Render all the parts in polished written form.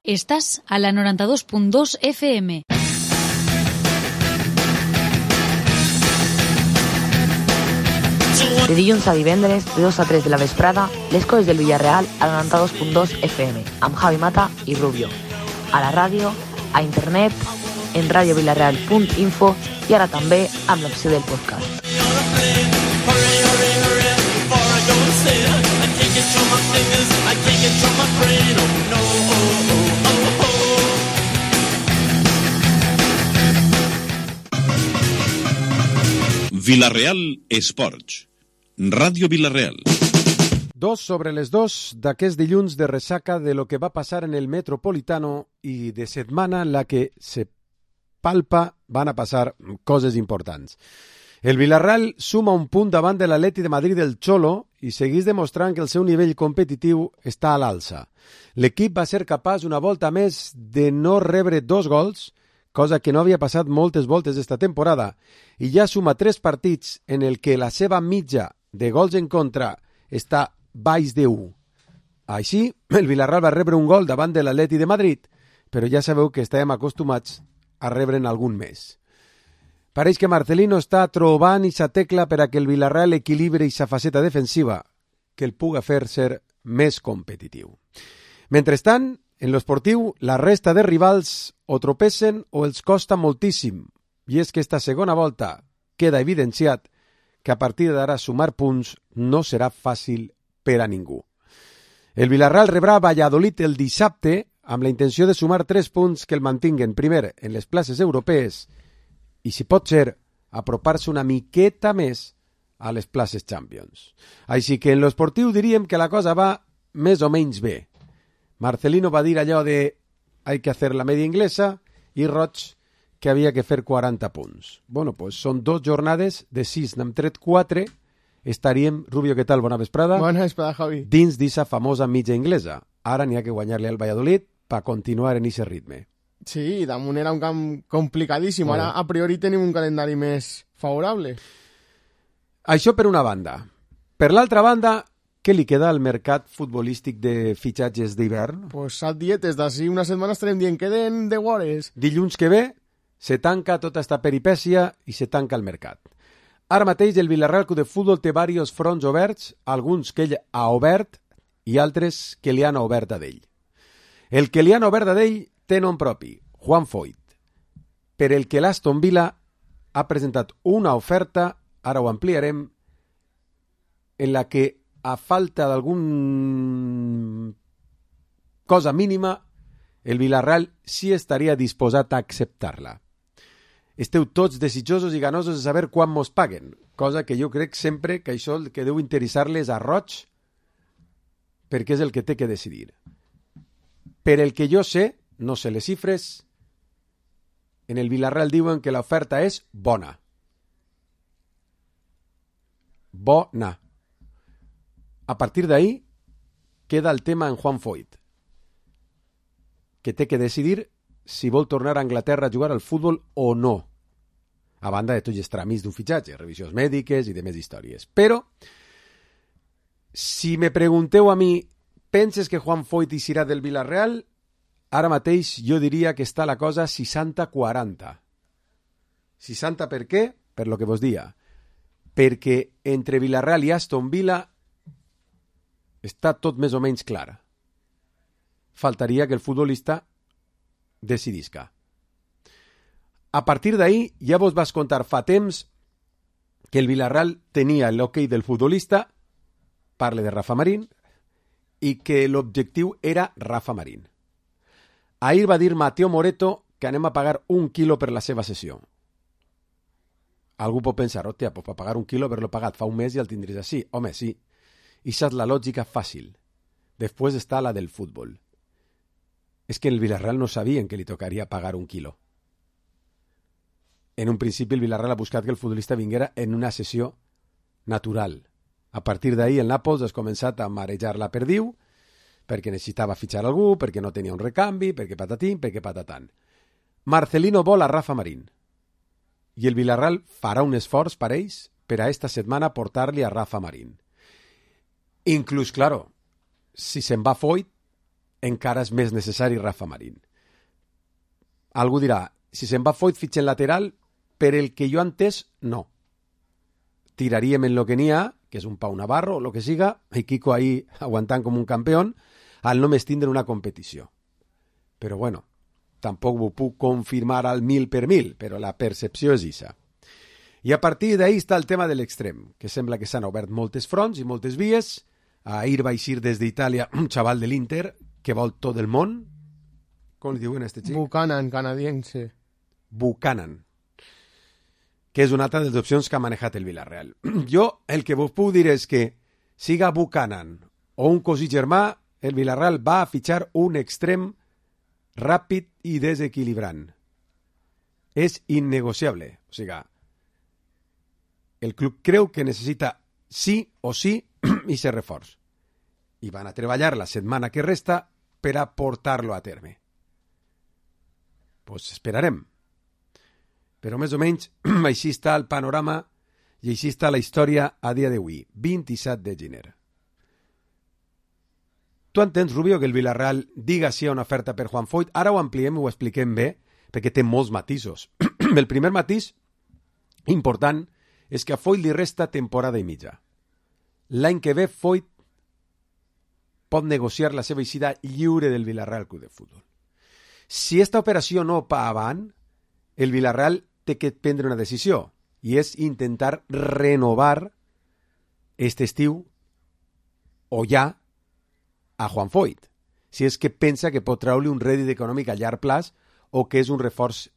Estàs a la 92.2 FM. De dilluns a divendres, de 2 a 3 de la vesprada, les coses del Villarreal a la 92.2 FM, amb Javi Mata i Rubio. A la ràdio, a internet, en radiovillarreal.info i ara també amb l'opció del podcast. Villarreal Esports. Ràdio Villarreal. 2 sobre les 2 d'aquest dilluns de ressaca de lo que va passar en el Metropolitano i de setmana en la que se palpa van a passar coses importants. El Villarreal suma un punt davant de l'Atleti de Madrid del Cholo i segueix demostrant que el seu nivell competitiu està a l'alça. L'equip va ser capaç una volta més de no rebre 2 gols, cosa que no havia passat moltes voltes esta temporada, i ja suma 3 partits en el que la seva mitja de gols en contra està baix de 1. Així, el Villarreal va rebre un gol davant de l'Atleti de Madrid, però ja sabeu que estàvem acostumats a rebre'n algun més. Pareix que Marcelino està trobant aquesta tecla per a que el Villarreal equilibri aquesta faceta defensiva que el puga fer ser més competitiu. Mentrestant, en l'esportiu, la resta de rivals o tropessen o els costa moltíssim, i és que esta segona volta queda evidenciat que a partir d'ara sumar punts no serà fàcil per a ningú. El Villarreal rebrà Valladolid el dissabte amb la intenció de sumar 3 punts que el mantinguen primer en les places europees i, si pot ser, apropar-se una miqueta més a les places Champions. Així que en l'esportiu diríem que la cosa va més o menys bé. Marcelino va dir allò de hay que hacer la media inglesa i Roig que havia que fer 40 punts. Bueno, pues són 2 jornades de 6, n'hem tret 4, estaríem, Rubio, què tal? Bona vesprada. Bona vesprada, Javi. Dins d'issa famosa mitja inglesa. Ara n'hi ha que guanyar-li al Valladolid per continuar en ese ritme. Sí, damunt era un camp complicadíssim. Ara, a priori, tenim un calendari més favorable. Això per una banda. Per l'altra banda, què li queda al mercat futbolístic de fitxatges d'hivern? Pues salt dietes, d'ací una setmana estarem dient que den de guores. Dilluns que ve se tanca tota esta peripècia i se tanca el mercat. Ara mateix el Villarreal Club de Futbol té diversos fronts oberts, alguns que ell ha obert i altres que li han obert a d'ell. El que li han obert a d'ell té nom propi, Juan Foyth. Per el que l'Aston Villa ha presentat una oferta, ara ho ampliarem, en la que a falta d'algun cosa mínima, el Villarreal sí estaria disposat a acceptar-la. Esteu tots desitjosos i ganosos de saber quan mos paguen, cosa que jo crec sempre que això el que deu interessar-les a Roig, perquè és el que té que decidir. Per el que jo sé, no sé les xifres, en el Villarreal diuen que l'oferta és bona. Bona. A partir d'ahí queda el tema en Juan Foyth, que té que decidir si vol tornar a Anglaterra a jugar al futbol o no, a banda de tots els tràmits d'un fitxatge, revisions mèdiques i de més històries. Però, si me pregunteu a mi, penses que Juan Foyth hi serà del Villarreal? Ara mateix jo diria que està la cosa 60-40. 60 per què? Per lo que vos dia. Perquè entre Villarreal i Aston Villa està tot més o menys clar. Faltaria que el futbolista decidisca. A partir d'ahí ja vos vas contar fa temps que el Villarreal tenia l'hoquei del futbolista, parle de Rafa Marín, i que l'objectiu era Rafa Marín. Ahir va dir Mateo Moreto que anem a pagar 1 quilo per la seva sessió. Algú pot pensar, hòstia, pues per pagar 1 quilo haver-lo pagat fa un mes i el tindries així. Home, sí. Ixa és la lògica fàcil. Després està la del futbol. És que el Villarreal no sabien que li tocaria pagar 1 quilo. En un principi el Villarreal ha buscat que el futbolista vinguera en una sessió natural. A partir d'ahí el Nàpols ha començat a marejar la perdiu perquè necessitava fitxar algú, perquè no tenia un recanvi, perquè patatín, perquè patatan. Marcelino vol a Rafa Marín i el Villarreal farà un esforç per ells per a esta setmana portar-li a Rafa Marín. Inclús, claro, si se'n va Foyth, encara és més necessari Rafa Marín. Algú dirà, si se'n va Foyt fitxen lateral, per el que jo he entès, no. Tiraríem en lo que n'hi ha, que és un Pau Navarro o lo que siga, i Kiko ahí aguantant com un campió, al només tindre una competició. Però bueno, tampoc ho puc confirmar al 1000%, però la percepció és isa. I a partir d'ahí està el tema de l'extrem, que sembla que s'han obert moltes fronts i moltes vies. Ahir va eixir des d'Itàlia un xaval de l'Inter que vol tot el món. Com li diuen a este xic? Buchanan, canadiense. Buchanan, que és una altra de les opcions que ha manejat el Villarreal. Jo el que vos puc dir és que siga Buchanan o un cosí germà, el Villarreal va a fitxar un extrem ràpid i desequilibrant. És innegociable. O sigui, el club creu que necessita sí o sí i ser reforç. I van a treballar la setmana que resta per a portar-lo a terme. Pues esperarem. Però més o menys així està el panorama i així està la història a dia d'avui, 27 de gener. Tu entens, Rubio, que el Villarreal diga sí a una oferta per Juan Foyt? Ara ho ampliem i ho expliquem bé, perquè té molts matisos. El primer matís important és que a Foyt li resta temporada i mitja. L'any que ve Foyt pot negociar la seva eixida lliure del Villarreal Club de Futbol. Si esta operació no va avant, el Villarreal té que prendre una decisió, i és intentar renovar este estiu o ja a Juan Foyt, si és que pensa que pot treure un rèdit econòmic a llarg plaç o que és un reforç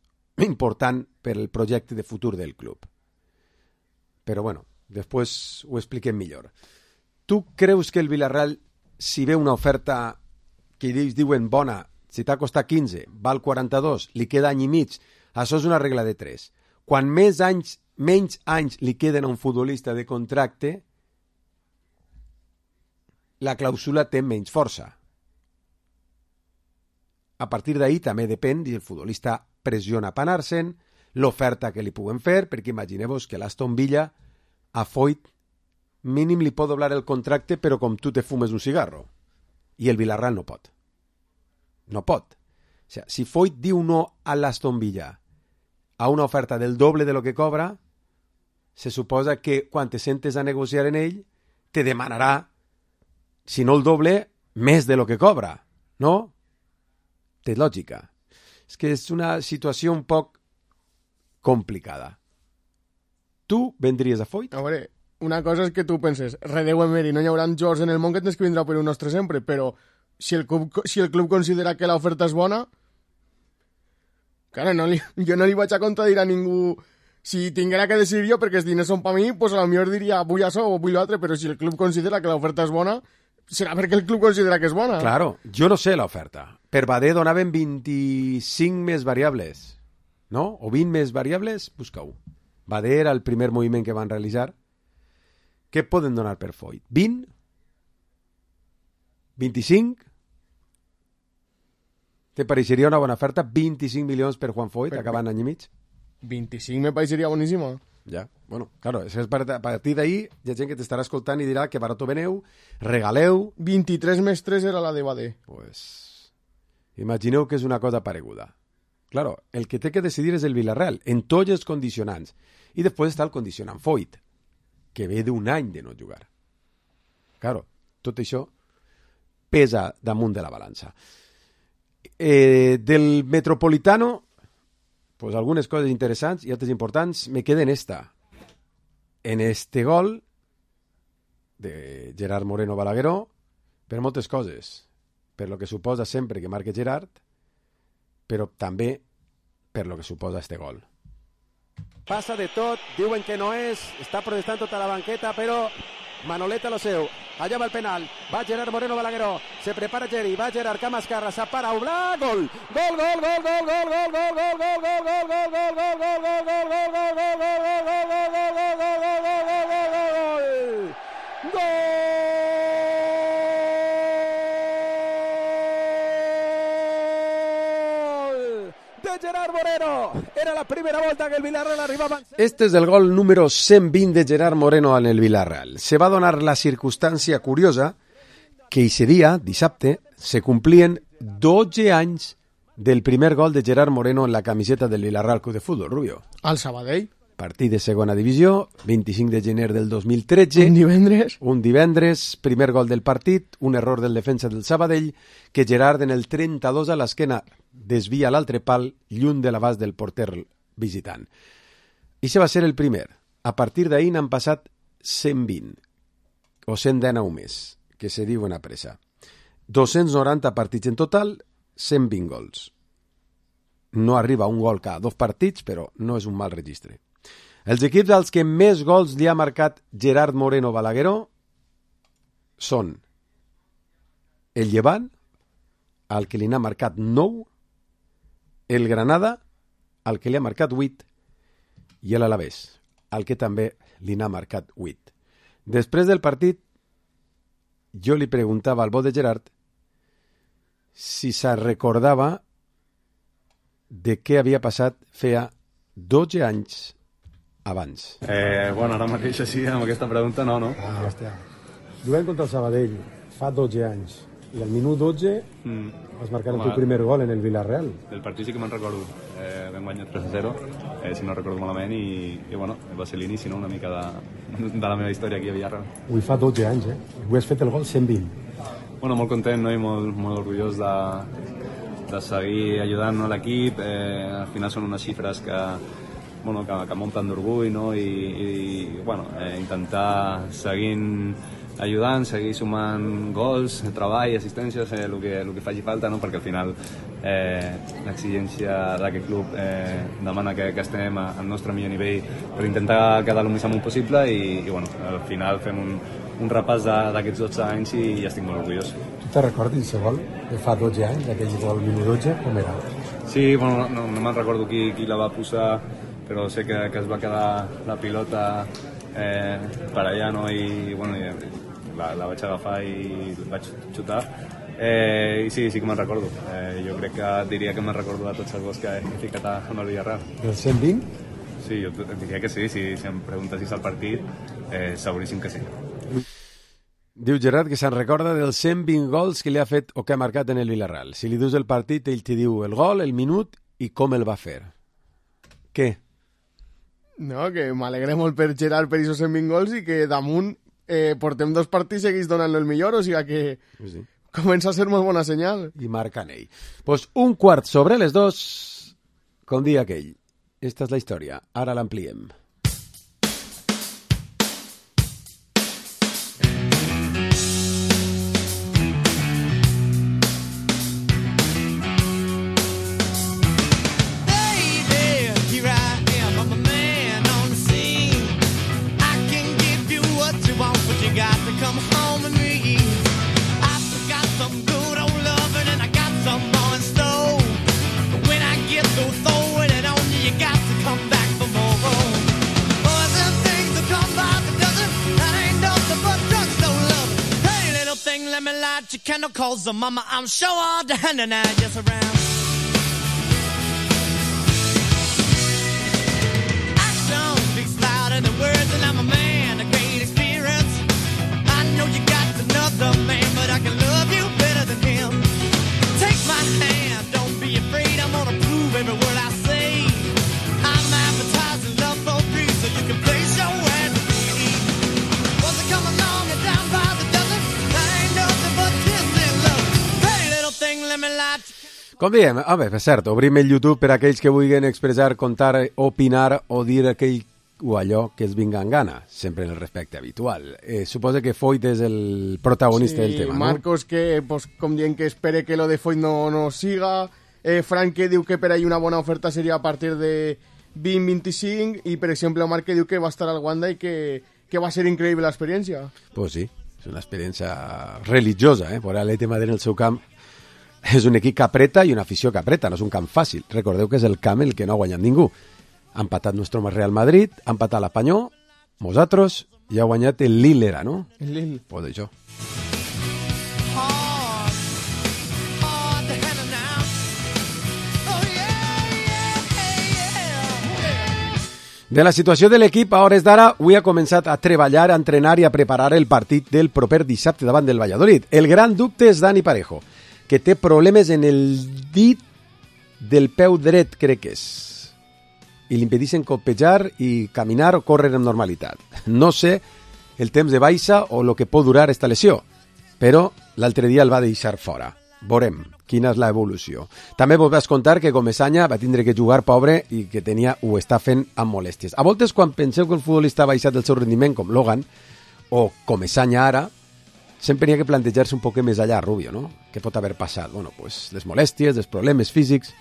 important per al projecte de futur del club. Però bueno, després ho expliquem millor. Tu creus que el Villarreal, si ve una oferta que ells diuen bona, si t'ha costat 15, val 42, li queda any i mig, això és una regla de 3. Quan menys anys li queden a un futbolista de contracte, la clàusula té menys força. A partir d'ahí també depèn si el futbolista pressiona per anar-se'n, l'oferta que li puguen fer, perquè imagineu-vos que l'Aston Villa a Foyt mínim li pot doblar el contracte, però com tu te fumes un cigarro. I el Villarreal no pot. No pot. O sigui, si Foyt diu no a l'Aston Villa a una oferta del doble de lo que cobra, se suposa que quan te sentes a negociar en ell, te demanarà, si no el doble, més de lo que cobra. No? Té lògica. És que és una situació un poc complicada. Tu vendries a Foyt? A veure, una cosa és que tu penses, redeu Emery, no hi haurà jocs en el món que tens que vindrà per un nostre sempre, però si el club considera que l'oferta és bona, cara, jo no li vaig a contradir a ningú. Si tinguera que decidir jo perquè els diners són per mi, pues a lo millor diria vull això o vull l'altre, però si el club considera que l'oferta és bona, serà perquè el club considera que és bona. Claro, jo no sé l'oferta. Per Badé donaven 25 més variables, no? O 20 més variables, busca-ho. Badé era el primer moviment que van realitzar. Què poden donar per Foyt? 20? 25? ¿Te pareixeria una bona oferta? 25 milions per Juan Foyt, acabant any i mig? 25 me pareixeria boníssima. Ja, bueno, claro, és a partir d'ahí hi ha gent que t'estarà escoltant i dirà que barato veneu, regaleu... 23 més 3 era la de Badé. Pues, imagineu que és una cosa pareguda. Claro, el que té que decidir és el Villarreal, en tots els condicionants. I després està el condicionant Foyt, que ve d'un any de no jugar. Claro, tot això pesa damunt de la balança. Del Metropolitano, pues algunes coses interessants i altres importants me queden en este gol de Gerard Moreno Balagueró, per moltes coses, per lo que suposa sempre que marque Gerard, però també per lo que suposa este gol. Passa de tot, diuen que no és, està protestant tota la banqueta, però Manoleta lo seu, allà va el penal, va Gerard Moreno Balagueró, se prepara Geri, va Gerard, cama esquerra, s'apara, Oblà, gol! Gol, gol, gol, gol, gol, gol, gol, gol, gol, gol, gol, gol, gol, gol, gol, gol, Gerard Moreno. Era la primera volta que el Villarreal arribava. Este és el gol número 120 de Gerard Moreno en el Villarreal. Se va donar la circumstància curiosa que ese dia, dissabte, se complien 12 anys del primer gol de Gerard Moreno en la camiseta del Villarreal Club de Futbol, Rubio. Al Sabadell. Partit de segona divisió, 25 de gener del 2013. Un divendres, primer gol del partit, un error del defensa del Sabadell, que Gerard en el 32 a l'esquena desvia l'altre pal lluny de l'abast del porter visitant. I això va ser el primer. A partir d'ahir n'han passat 120, o 119 més, que se diuen a pressa. 290 partits en total, 120 gols. No arriba un gol cada 2 partits, però no és un mal registre. Els equips als que més gols li ha marcat Gerard Moreno Balagueró són el Llevant, al que li n'ha marcat 9, el Granada, al que li ha marcat 8, i l'Alavés, al que també li n'ha marcat 8. Després del partit, jo li preguntava al bo de Gerard si se recordava de què havia passat feia 12 anys abans. Bueno, ara mateix així, amb aquesta pregunta, no. Hòstia. Jugant contra el Sabadell fa 12 anys i al minut 12 vas marcar el teu primer gol en el Villarreal. El partit sí que me'n recordo. Vam guanyar 3-0, si no recordo malament, i bueno, va ser l'inici, no?, una mica de la meva història aquí a Villarreal. Avui fa 12 anys, Avui has fet el gol 120. Bueno, molt content, no?, i molt orgullós de seguir ajudant a l'equip. Al final són unes xifres que munten d'orgull, no?, i bueno, intentar seguint ajudant, seguir sumant gols, treball, assistències, el que faci falta, no?, perquè al final l'exigència d'aquest club demana que estem al nostre millor nivell per intentar quedar el més amunt possible i bueno, al final fem un repàs d'aquests 12 anys i ja estic molt orgullós. Tu te recordes el gol de fa 12 anys, aquell gol minut 12, com era? Sí, bueno, no me'n recordo qui la va posar, però sé que es va quedar la pilota per allà, no?, i bueno, la vaig agafar i vaig xutar. I sí que me'n recordo. Jo crec que diria que me'n recordo de tots els gols que he ficat amb el Villarreal. Del 120? Sí, jo diria que sí. Si em preguntessis al partit, seguríssim que sí. Diu Gerard que se'n recorda dels 120 gols que li ha fet o que ha marcat en el Villarreal. Si li dius el partit, ell t'hi diu el gol, el minut i com el va fer. Què? No, que m'alegré molt per Gerard per aquests 120 gols i que damunt portem 2 partits i seguís donant-lo el millor, o sigui que sí. Comença a ser molt bona senyal. I marcan ell. Pues 2:15, com dia aquell. Esta és la història. Ara l'ampliem. Candle calls the mama, I'm sure all the hand and I just around. Action speaks louder than words, and I'm a man of great experience. I know you got another man, but I can love you better than him. Take my hand, don't be afraid, I'm gonna prove every word I say. I'm advertising love for free, so you can place your hand with me. Was it come along and down by the dozen? I ain't nothing but com diem, per cert, obrim el YouTube per a aquells que vulguin expressar, contar, opinar o dir aquell o allò que es vinga en gana, sempre en el respecte habitual. Suposa que Foyt és el protagonista del tema, Marcos, no? Que, pues, com dient que espere que lo de Foyt no siga, Frank que diu que per ahí una bona oferta seria a partir de 20-25 i, per exemple, Marc que diu que va estar al Wanda i que va ser increïble l'experiència. Pues sí, és una experiència religiosa, por l'Atleti de Madrid en el seu camp. És un equip que apreta i una afició que apreta, no és un camp fàcil. Recordeu que és el camp el que no ha guanyat ningú. Ha empatat nostre Real Madrid, ha empatat l'Apanyó, nosaltres, i ha guanyat el Lille, no? El Lille. Pues això. De la situació de l'equip, a hores d'ara, avui ha començat a treballar, a entrenar i a preparar el partit del proper dissabte davant del Valladolid. El gran dubte és Dani Parejo. que té problemes en el dit del peu dret, crec que és, i li impedeixen copejar i caminar o córrer amb normalitat. No sé el temps de baixa o el que pot durar esta lesió, però l'altre dia el va deixar fora. Veurem quina és l'evolució. També vos vas contar que Comesaña va tindre que jugar pobre i que ho està fent amb molèsties. A voltes, quan penseu que el futbolista ha baixat el seu rendiment, com Logan, o Comesaña ara, sempre hi ha que plantejar-se un poc més allà, Rubio, no? Què pot haver passat? Bueno, pues les molèsties, els problemes físics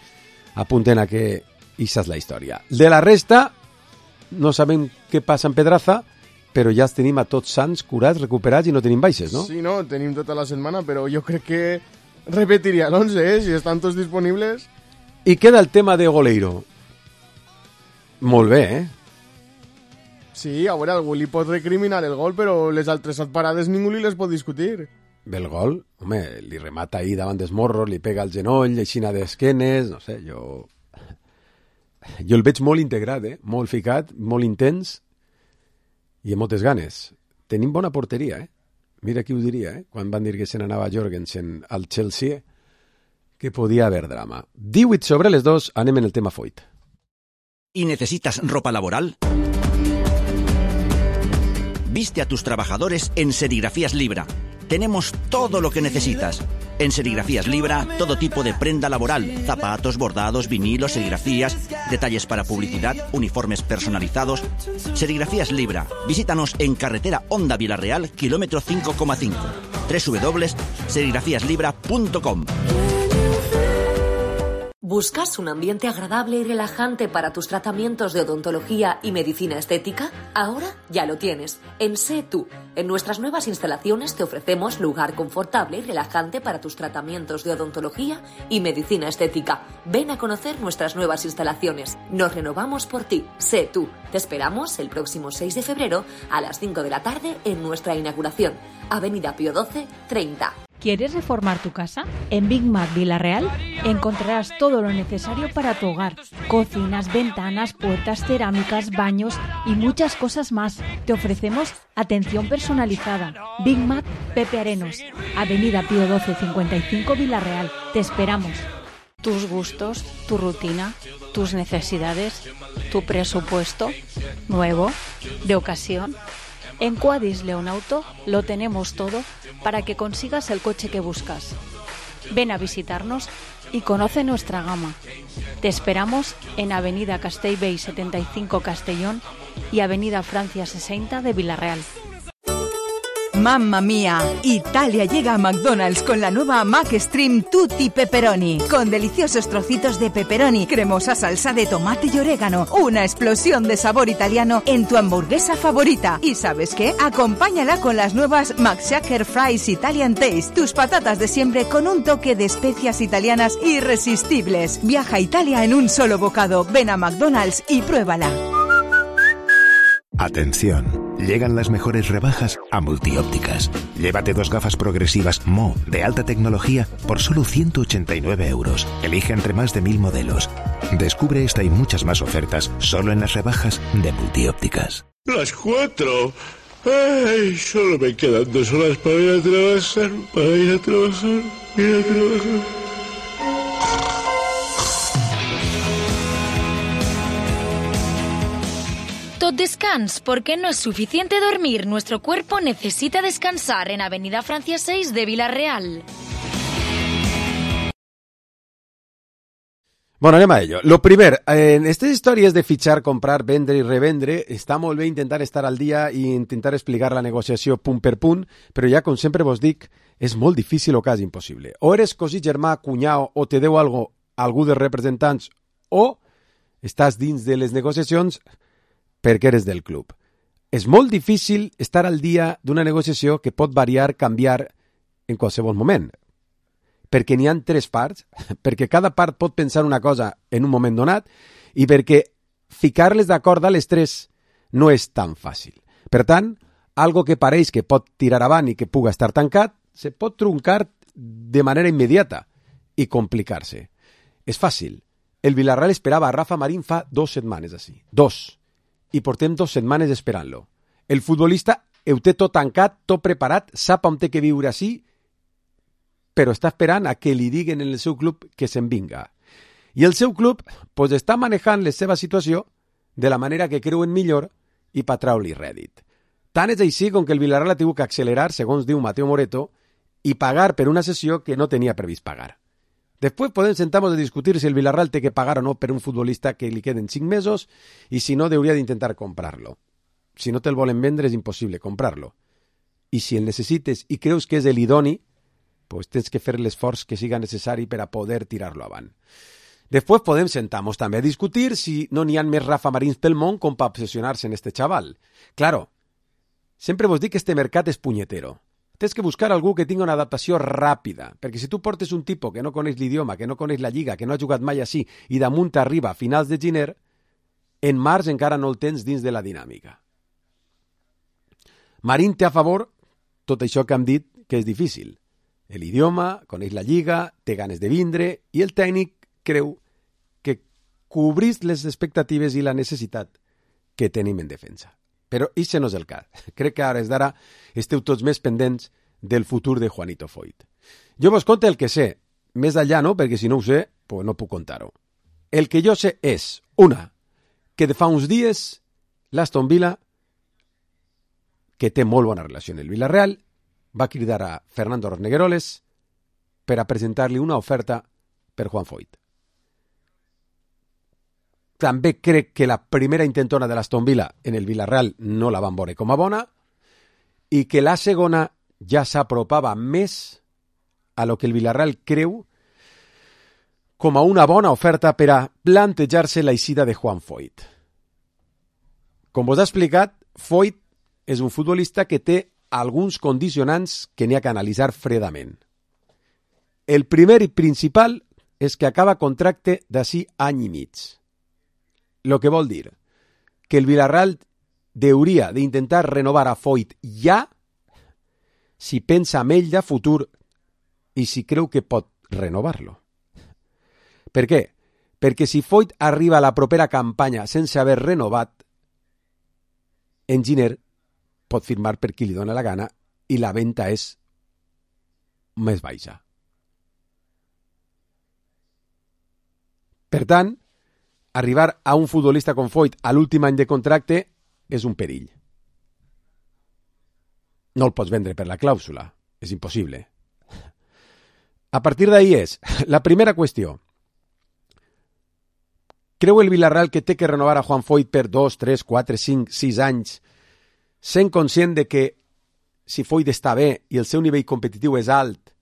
apunten a que això és la història. De la resta, no sabem què passa en Pedraza, però ja els tenim a tots sants, curats, recuperats i no tenim baixes, no? Sí, no, tenim tota la setmana, però jo crec que repetiria l'11, si estan tots disponibles. I queda el tema de Goleiro. Molt bé, eh? Sí, a veure, algú li pot recriminar el gol, però les altres parades ningú li les pot discutir. Bé, el gol, home, li remata ahí davant dels morros, li pega al genoll, aixina d'esquenes, no sé, jo el veig molt integrat, molt ficat, molt intens i amb moltes ganes. Tenim bona porteria, Mira qui ho diria, quan van dir que se n'anava Jorgensen al Chelsea, que podia haver drama. 18:02, anem en el tema Foyt. ¿Y necesitas ropa laboral? Viste a tus trabajadores en Serigrafías Libra. Tenemos todo lo que necesitas. En Serigrafías Libra, todo tipo de prenda laboral, zapatos, bordados, vinilos, serigrafías, detalles para publicidad, uniformes personalizados. Serigrafías Libra. Visítanos en carretera Honda Villarreal, kilómetro 5,5. www.serigrafíaslibra.com. ¿Buscas un ambiente agradable y relajante para tus tratamientos de odontología y medicina estética? Ahora ya lo tienes. En Sé Tú. En nuestras nuevas instalaciones te ofrecemos lugar confortable y relajante para tus tratamientos de odontología y medicina estética. Ven a conocer nuestras nuevas instalaciones. Nos renovamos por ti. Sé Tú. Te esperamos el próximo 6 de febrero a las 5 de la tarde en nuestra inauguración. Avenida Pío XII, 30. ¿Quieres reformar tu casa? En Big Mac Villarreal encontrarás todo lo necesario para tu hogar. Cocinas, ventanas, puertas, cerámicas, baños y muchas cosas más. Te ofrecemos atención personalizada. Big Mac Pepe Arenos, Avenida Pío XII 55 Villarreal. Te esperamos. Tus gustos, tu rutina, tus necesidades, tu presupuesto, nuevo, de ocasión. En Quadis León Auto lo tenemos todo para que consigas el coche que buscas. Ven a visitarnos y conoce nuestra gama. Te esperamos en Avenida Castellbell 75 Castellón y Avenida Francia 60 de Villarreal. ¡Mamma mía! Italia llega a McDonald's con la nueva McStream Tutti Pepperoni, con deliciosos trocitos de pepperoni, cremosa salsa de tomate y orégano, una explosión de sabor italiano en tu hamburguesa favorita. ¿Y sabes qué? Acompáñala con las nuevas McShaker Fries Italian Taste, tus patatas de siempre con un toque de especias italianas irresistibles. Viaja a Italia en un solo bocado. Ven a McDonald's y pruébala. Atención, llegan las mejores rebajas a Multiópticas. Llévate 2 gafas progresivas Mo de alta tecnología por solo 189 euros. Elige entre más de 1000 modelos. Descubre esta y muchas más ofertas solo en las rebajas de Multiópticas. Las 4. Ay, solo me quedan 2 horas para ir a trabajar, Tot descans, porque no es suficiente dormir. Nuestro cuerpo necesita descansar en Avenida Francia 6 de Villarreal. Bueno, anem a ello. Lo primer, en aquestes històries de fitxar, comprar, vendre i revendre, està molt bé intentar estar al dia i intentar explicar la negociació punt per punt, però ja, com sempre vos dic, és molt difícil o quasi impossible. O eres cosí germà, cunyau, o te deu algú dels representants, o estàs dins de les negociacions perquè eres del club. És molt difícil estar al dia d'una negociació que pot variar, canviar en qualsevol moment. Perquè n'hi ha 3 parts, perquè cada part pot pensar una cosa en un moment donat i perquè ficar-les d'acord a les 3 no és tan fàcil. Per tant, algo que pareix que pot tirar avant i que puga estar tancat, se pot truncar de manera immediata i complicar-se. És fàcil. El Villarreal esperava a Rafa Marín fa 2 setmanes així. 2. I portem 2 setmanes esperant-lo. El futbolista ho té tot tancat, tot preparat, sap on té que viure així però està esperant a que li diguen en el seu club que se'n vinga. I el seu club pues, està manejant la seva situació de la manera que creuen millor i per traure-li rèdit. Tant és així com que el Villarreal ha tingut que accelerar, segons diu Mateo Moreto, i pagar per una sessió que no tenia previst pagar. Després podem sentar-nos a discutir si el Villarreal té que pagar o no per un futbolista que li queden 5 mesos i si no hauria d'intentar comprar-lo. Si no te'l volen vendre és impossible comprar-lo. I si el necessites i creus que és l'idoni, pues tens que fer l'esforç que siga necessari per a poder tirar-lo avant. Després podem sentar-nos també a discutir si no n'hi ha més Rafa Marins pel món com per obsessionar-se en este xaval. Claro, sempre vos dic que este mercat és punyetero. Tens que buscar algú que tingui una adaptació ràpida, perquè si tu portes un tipus que no coneix l'idioma, que no coneix la lliga, que no ha jugat mai així, i damunt arriba a finals de gener, en març encara no el tens dins de la dinàmica. Marín té a favor tot això que hem dit que és difícil. L'idioma, coneix la lliga, té ganes de vindre, i el tècnic creu que cobrís les expectatives i la necessitat que tenim en defensa. Però això no és el cas. Crec que ara d'ara esteu tots més pendents del futur de Juanito Foyt. Jo vos conto el que sé, més allà no, perquè si no ho sé, pues no puc contar-ho. El que jo sé és, una, que de fa uns dies l'Aston Villa, que té molt bona relació amb el Villarreal, va cridar a Fernando Rosnegueroles per a presentar-li una oferta per Juan Foyt. També crec que la primera intentona de l'Aston Villa en el Villarreal no la van veure com a bona i que la segona ja s'apropava més a lo que el Villarreal creu com a una bona oferta per a plantejar-se la eixida de Juan Foyt. Com vos ha explicat, Foyt és un futbolista que té alguns condicionants que n'hi ha que analitzar fredament. El primer i principal és que acaba contracte d'ací any i mig. Lo que vol dir que el Villarreal hauria d'intentar renovar a Foyt ja si pensa en ell de futur i si creu que pot renovar-lo. Per què? Perquè si Foyt arriba a la propera campanya sense haver renovat, en gener pot firmar per qui li dona la gana i la venda és més baixa. Per tant, arribar a un futbolista com Foyt a l'últim any de contracte és un perill. No el pots vendre per la clàusula. És impossible. A partir d'ahí és la primera qüestió. Creu el Villarreal que té que renovar a Juan Foyt per 2, 3, 4, 5, 6 anys sent conscient de que si Foyt està bé i el seu nivell competitiu és alt,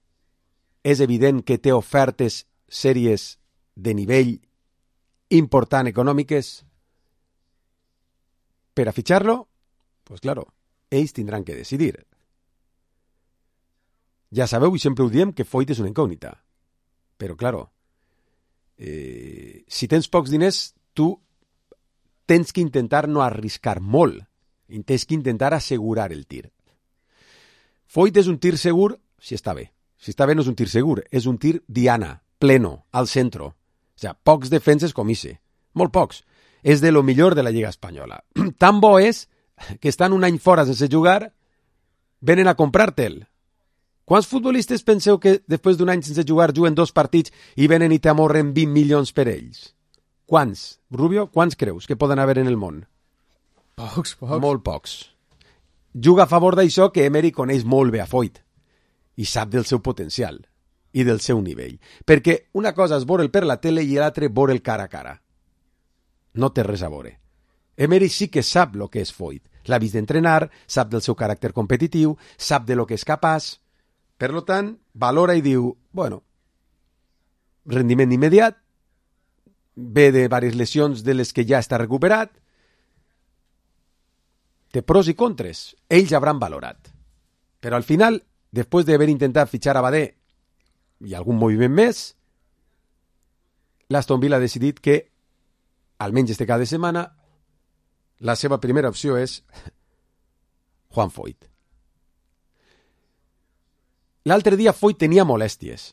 és evident que té ofertes sèries de nivell important econòmiques per a fitxar-lo? Pues claro, ells tindran que decidir. Ja sabeu, i sempre ho diem, que Foyt és una incògnita. Però, claro, si tens pocs diners, tu tens que intentar no arriscar molt. Tens que intentar assegurar el tir. Foyt és un tir segur si està bé. Si està bé no és un tir segur, és un tir diana, pleno, al centro. O sigui, pocs defenses com ixe. Molt pocs. És de lo millor de la Lliga Espanyola. Tan bo és que estan un any fora sense jugar, venen a comprar-te'l. Quants futbolistes penseu que després d'un any sense jugar juguen 2 partits i venen i t'amorren 20 milions per ells? Quants? Rubio, quants creus que poden haver en el món? Pocs. Molt pocs. Juga a favor d'això que Emery coneix molt bé a Foyt i sap del seu potencial i del seu nivell. Perquè una cosa és veure'l per la tele i l'altra veure'l cara a cara. No té res a veure. Emery sí que sap el que és Foyt. L'ha vist d'entrenar, sap del seu caràcter competitiu, sap de lo que és capaç. Per tant, valora i diu, bueno, rendiment immediat, ve de diverses lesions de les que ja està recuperat, té pros i contres. Ells hauran valorat. Però al final, després d'haver intentat fitxar a Badé i algun moviment més, l'Aston Villa ha decidit que, almenys este cada setmana, la seva primera opció és Juan Foyt. L'altre dia Foyt tenia molèsties,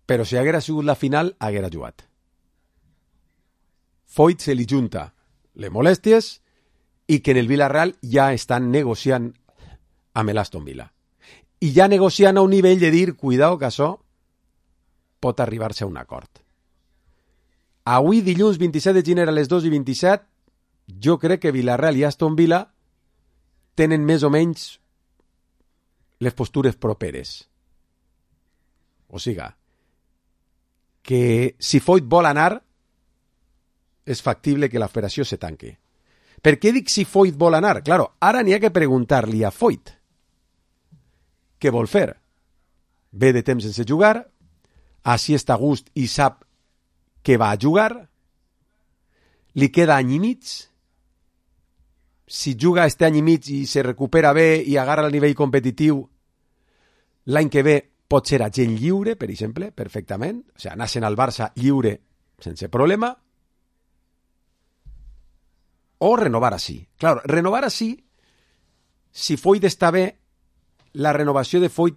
però si haguera sigut la final, haguera jugat. Foyt se li junta les molèsties i que en el Villarreal ja estan negociant amb l'Aston Villa. I ja negociant a un nivell de dir, cuidao que això pot arribar-se a un acord. Avui, dilluns 27 de gener a les 2:27, jo crec que Villarreal i Aston Villa tenen més o menys les postures properes. O sigui, que si Foyt vol anar, és factible que l'operació se tanque. Per què dic si Foyt vol anar? Claro, ara n'hi ha que preguntar-li a Foyt què vol fer. Ve de temps sense jugar, així està a gust i sap que va a jugar, li queda any i mig, si juga este any i mig i se recupera bé i agarra el nivell competitiu, l'any que ve pot ser agent lliure, per exemple, perfectament, o sigui, anar-se'n al Barça lliure sense problema, o renovar així. Claro, renovar així, si Foyt està bé, la renovació de Foyt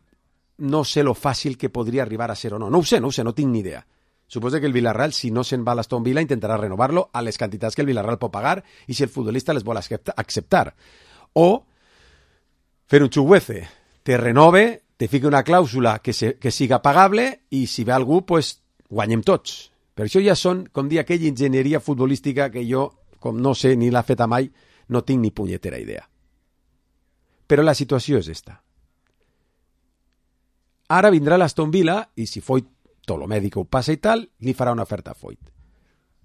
no sé lo fàcil que podria arribar a ser o no. No ho sé, no tinc ni idea. Suposo que el Villarreal, si no se'n va a l'Aston Villa, intentarà renovar-lo a les quantitats que el Villarreal pot pagar i si el futbolista les vol acceptar. O fer un xuguece, te renove, te fica una clàusula que siga pagable i si ve algú, pues, guanyem tots. Per això ja són, com dir, aquella enginyeria futbolística que jo, com no sé ni l'ha feta mai, no tinc ni punyetera idea. Però la situació és esta. Ara vindrà l'Aston Villa i si Foyt, tot lo mèdic ho passa i tal, li farà una oferta a Foyt.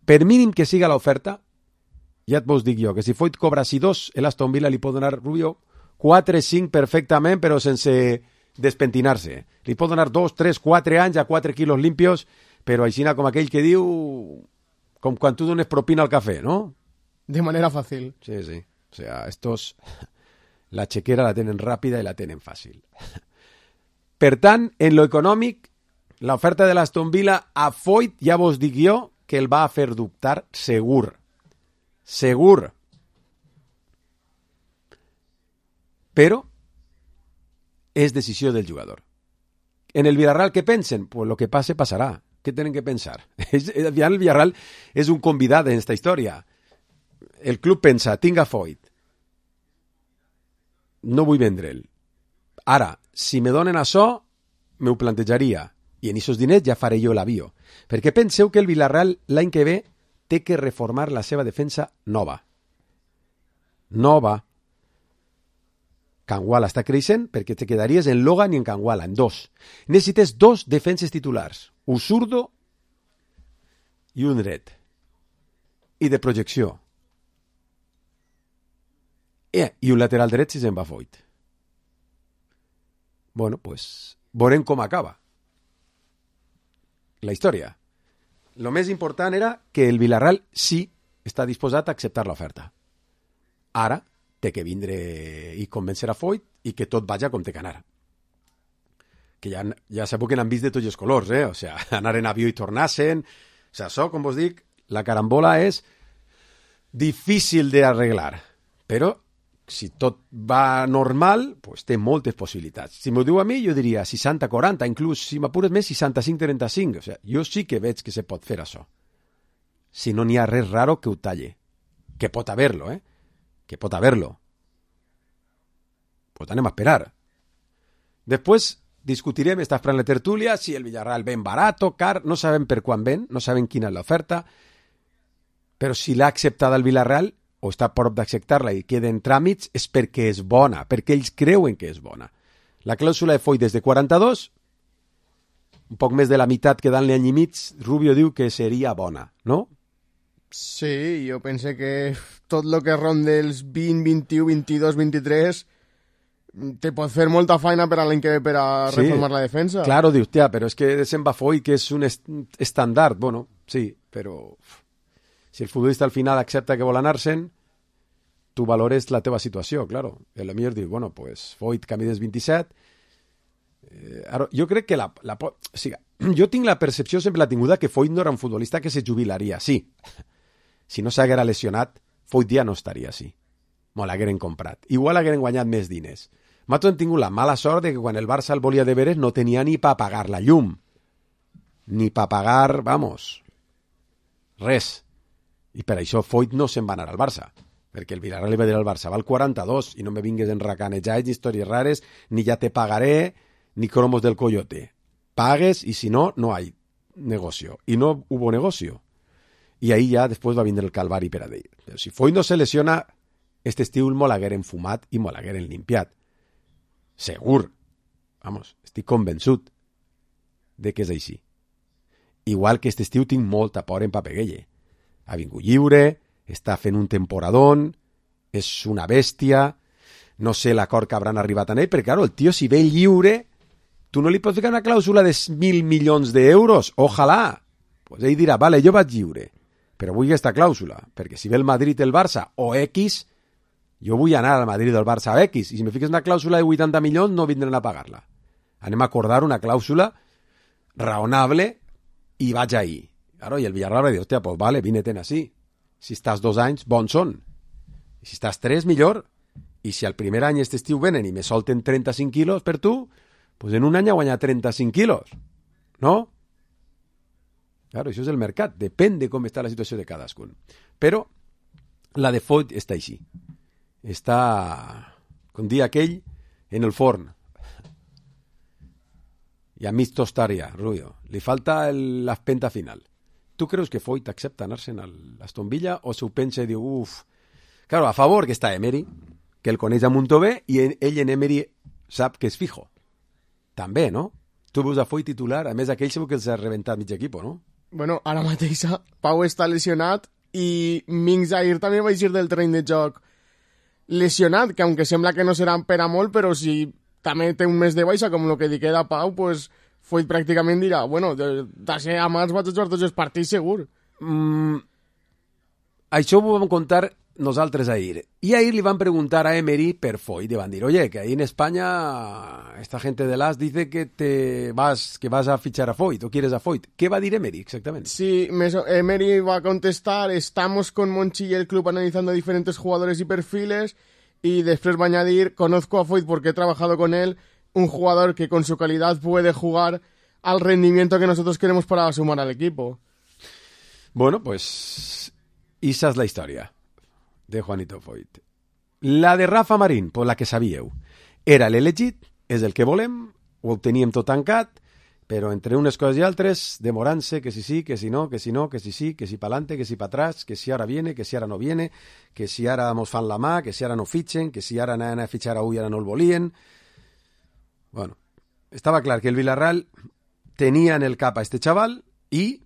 Per mínim que siga l'oferta, ja et vos dic jo, que si Foyt cobra si 2, l'Aston Villa li pot donar, Rubio, 4-5 perfectament, però sense despentinar-se. Li pot donar 2, 3, 4 anys a 4 quilos limpios, però així com aquell que diu, com quan tu dones propina al cafè, ¿no? De manera fàcil. Sí, sí. O sea, estos, la chequera la tenen ràpida i la tenen fàcil. Per tant, en lo econòmic, l'oferta de l'Aston Villa a Foyt, ja vos dic jo, que el va a fer dubtar segur. Segur. Però és decisió del jugador. En el Villarreal, què pensen? Pues lo que passe, passarà. Què tenen que pensar? El Villarreal és un convidat en esta història. El club pensa, tinc a Foyt. No vull vendre'l. Ara, si me donen això, m'ho plantejaria. I en aquests diners ja faré jo l'avió. Perquè penseu que el Villarreal l'any que ve té que reformar la seva defensa nova. Nova. Canguala està creixent perquè te quedaries en Logan i en Canguala, en 2. Necessites 2 defenses titulars. Un zurdo i un dret. I de projecció. I un lateral dret si se'n va Foyt. Bueno, pues, veurem com acaba la història. Lo més important era que el Villarreal sí està disposat a acceptar l'oferta. Ara té que vindre i convèncer a Foyt i que tot vaja com té que anar. Que ja sabeu que n'han vist de tots els colors, O sea, anar en avió i tornar-se'n. O sea, això, com vos dic, la carambola és difícil d'arreglar. Però si tot va normal, pues té moltes possibilitats. Si m'ho diu a mi, jo diria 60-40, inclús, si m'apures més, 65-35. O sea, jo sí que veig que se pot fer això. Si no n'hi ha res raro que ho talle. Que pot haver-lo, Que pot haver-lo. Pues anem a esperar. Després discutirem, està esperant la tertúlia, si el Villarreal ven barato, car, no sabem per quan ven, no sabem quina és l'oferta, però si l'ha acceptada el Villarreal, o està a prop d'acceptar-la i queden tràmits, és perquè és bona, perquè ells creuen que és bona. La clàusula de Foyt és de 42, un poc més de la meitat quedant-li any i mig, Rubio diu que seria bona, no? Sí, jo pense que tot el que ronda els 20, 21, 22, 23 te pot fer molta feina per a l'any que ve per a reformar la defensa. Claro, dius, tia, però és que se'n va Foyt, que és un estàndard. Bueno, sí, però si el futbolista al final accepta que vol anar-se'n, tu valores la teva situació, claro. I a lo millor dius, bueno, pues Foyt camí dels 27. Ara, jo crec que o sigui, jo tinc la percepció, sempre l'ha tinguda, que Foyt no era un futbolista que se jubilaria, sí. Si no s'haguera lesionat, Foyt ja no estaria així. Molt l'hagueren comprat. Igual hagueren guanyat més diners. Nosaltres hem tingut la mala sort de que quan el Barça el volia de veres no tenia ni per pagar la llum. Ni per pagar, vamos, res. I per això Foyt no se'n va anar al Barça. Perquè el Villarreal li va dir al Barça, val 42 i no me vingues enracanejats ni històries rares, ni ja te pagaré, ni cromos del coyote. Pagues i si no, no hay. negocio. Y no hubo negocio. Y ahí ja després va vindre el calvari per a ell. Però si Foyt no se lesiona, este estiu el m'hagueren fumat i m'hagueren limpiat. Segur. Vamos, estic convençut de que és així. Igual que este estiu tinc molta por en Papeguelle. Ha vingut lliure, està fent un temporadón, és una bèstia, no sé l'acord que hauran arribat en ell, perquè, claro, el tio, si ve lliure, tu no li pots ficar una clàusula de 1.000 milions d'euros, ojalà. Pues ell dirà, vale, jo vaig lliure, però vull aquesta clàusula, perquè si ve el Madrid, el Barça o X, jo vull anar al Madrid o al Barça o X, i si me fiques una clàusula de 80 milions no vindran a pagar-la. Anem a acordar una clàusula raonable i vaig ahí. Claro, i el Villarreal va dir, hòstia, pues vale, vine-te'n així. Si estàs 2 anys, bons són. I si estàs 3, millor. I si al primer any este estiu venen i me solten 35 quilos per tu, pues en un any ha guanyat 35 quilos. No? Claro, això és el mercat. Depèn de com està la situació de cadascun. Però la de Foyt està així. Està, com dia aquell, en el forn. I a mig tostar-ja, Rubio. Li falta l'espenta final. Tu creus que Foyt accepta anar-se'n a l'Aston Villa o s'ho pensa i diu, uf... Claro, a favor que està Emery, que el coneix a Montové, i ell en Emery sap que és fijo. També, no? Tu veus a Foyt titular, a més aquell segur que els ha rebentat mig equip, no? Bueno, ara mateix Pau està lesionat i Ming Zahir també va eixir del terreny de joc lesionat, que aunque sembla que no seran per a molt, però si també té un mes de baixa, com el que li queda a Pau, pues Foyt pràcticament dirà, bueno, de ser a març vaig a jugar tots els partits segur. Això ho vam contar nosaltres ahir. Y ahir li van preguntar a Emery per Foyt. Y van dir, oye, que ahí en España esta gente de l'AS dice que vas a fichar a Foyt o quieres a Foyt. ¿Qué va a dir Emery exactamente? Sí, Emery va a contestar, estamos con Monchi y el club analizando diferentes jugadores y perfiles, y después va a añadir, conozco a Foyt porque he trabajado con él, un jugador que con su calidad puede jugar al rendimiento que nosotros queremos para sumar al equipo. Bueno, pues esa es la historia de Juanito Foyt. La de Rafa Marín, por la que sabíeu, era l'elegit, és el que volem, ho teníem tot tancat, però entre unes coses i altres, demorant-se, que si sí, que si no, que si no, que si sí, que si pa'lante, que si pa atrás, que si ara viene, que si ara no viene, que si ara mos fan la mà, que si ara no fitxen, que si ara anaven a fitxar a i ara no el volien. Bueno, estava clar que el Villarreal tenia en el cap a este xaval i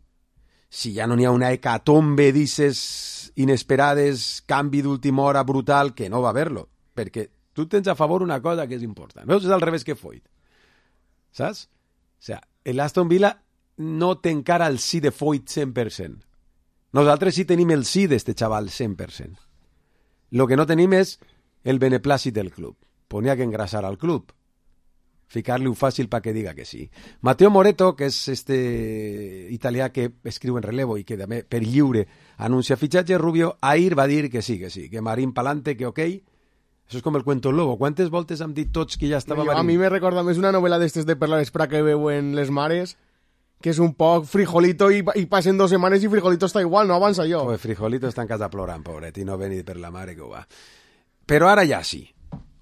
si ja no n'hi ha una hecatombe d'isses inesperades, canvi d'última hora brutal, que no va haver-lo, perquè tu tens a favor una cosa que és important. Veus? És al revés que Foyt. Saps? O sea, l'Aston Villa no té encara el sí de Foyt 100%. Nosaltres sí tenim el sí d'este xaval 100%. Lo que no tenim és el beneplàcit del club. Ponia que engrasar al club. Ficar-li un fàcil para que diga que sí. Mateo Moreto, que és este italià que escriu en relevo i que també per lliure anuncia fitxatge, Rubio, ahir va dir que sí, que Marín pa'lante, que ok. Això és com el cuento el lobo. Quantes voltes hem dit tots que ja estava Marín? A mi me recorda més una novel·la d'estes de per la vespre que veuen les mares, que és un poc Frijolito i passen 2 setmanes i Frijolito està igual, no avança jo. Pues Frijolito està en casa plorant, pobret, i no venir per la mare que ho va. Però ara ja sí.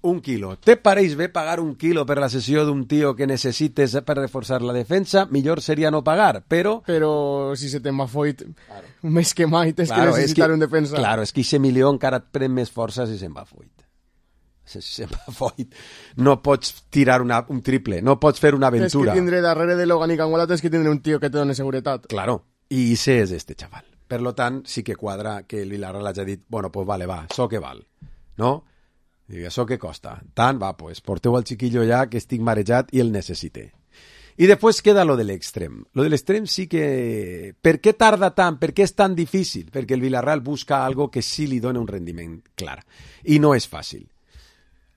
1 quilo. Te pareix bé pagar 1 quilo per la sessió d'un tio que necessites per reforçar la defensa? Millor seria no pagar, però... Però si se te'n va Foyt, claro, més que mai tens que necessitar un defensa. Claro, és que ese milió encara et pren més força si se'n va Foyt. Si se'n va Foyt, no pots tirar un triple, no pots fer una aventura. Tens que tindre darrere de Logan i Canguala, tens que tindre un tio que te doni seguretat. Claro, i ese és este xaval. Per lo tant, sí que quadra que el Villarreal hagi dit, bueno, pues vale, va, això que val, no? I això què costa? Tant, va, pues porteu al chiquillo ja que estic marejat i el necessite. I després queda lo de l'extrem. Lo de l'extrem sí que... Per què tarda tant? Per què és tan difícil? Perquè el Villarreal busca algo que sí li dona un rendiment clar. I no és fàcil.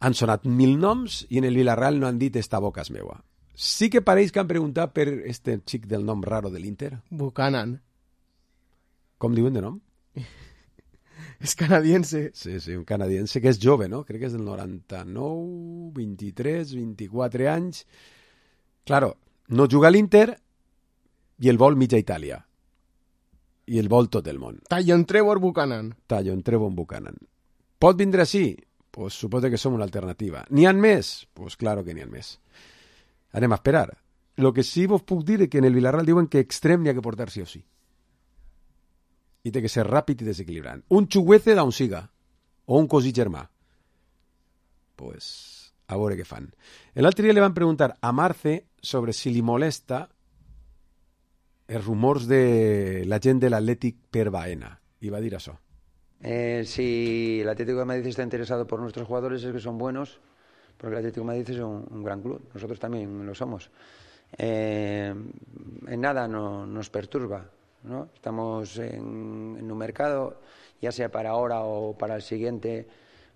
Han sonat 1000 noms i en el Villarreal no han dit esta boca és meua. Sí que pareix que han preguntat per este xic del nom raro de l'Inter. Buchanan. Com diuen de nom? És canadiense. Sí, un canadiense que és jove, no? Crec que és del 99, 23, 24 anys. Claro, no juga a l'Inter i el vol mitja Itàlia. I el vol tot el món. Tallon Trevor Buchanan. Tallon Trevor Buchanan. Pot vindre així? Pues suposo que som una alternativa. N'hi ha més? Pues claro que n'hi ha més. Anem a esperar. el que sí vos puc dir és que en el Villarreal diuen que extrem n'hi ha que portar sí o sí. I té que ser ràpid i desequilibrant. Un xuguece d'on siga, o un cosí germà. Pues, a veure què fan. L'altre dia li van preguntar a Marce sobre si li molesta els rumors de la gent de l'Atlètic per Baena. I va dir això. Si el Atlético de Madrid está interesado por nuestros jugadores es que son buenos, porque el Atlético de Madrid es un gran club, nosotros también lo somos. En nada nos perturba, ¿no? Estamos en un mercado, ya sea para ahora o para el siguiente,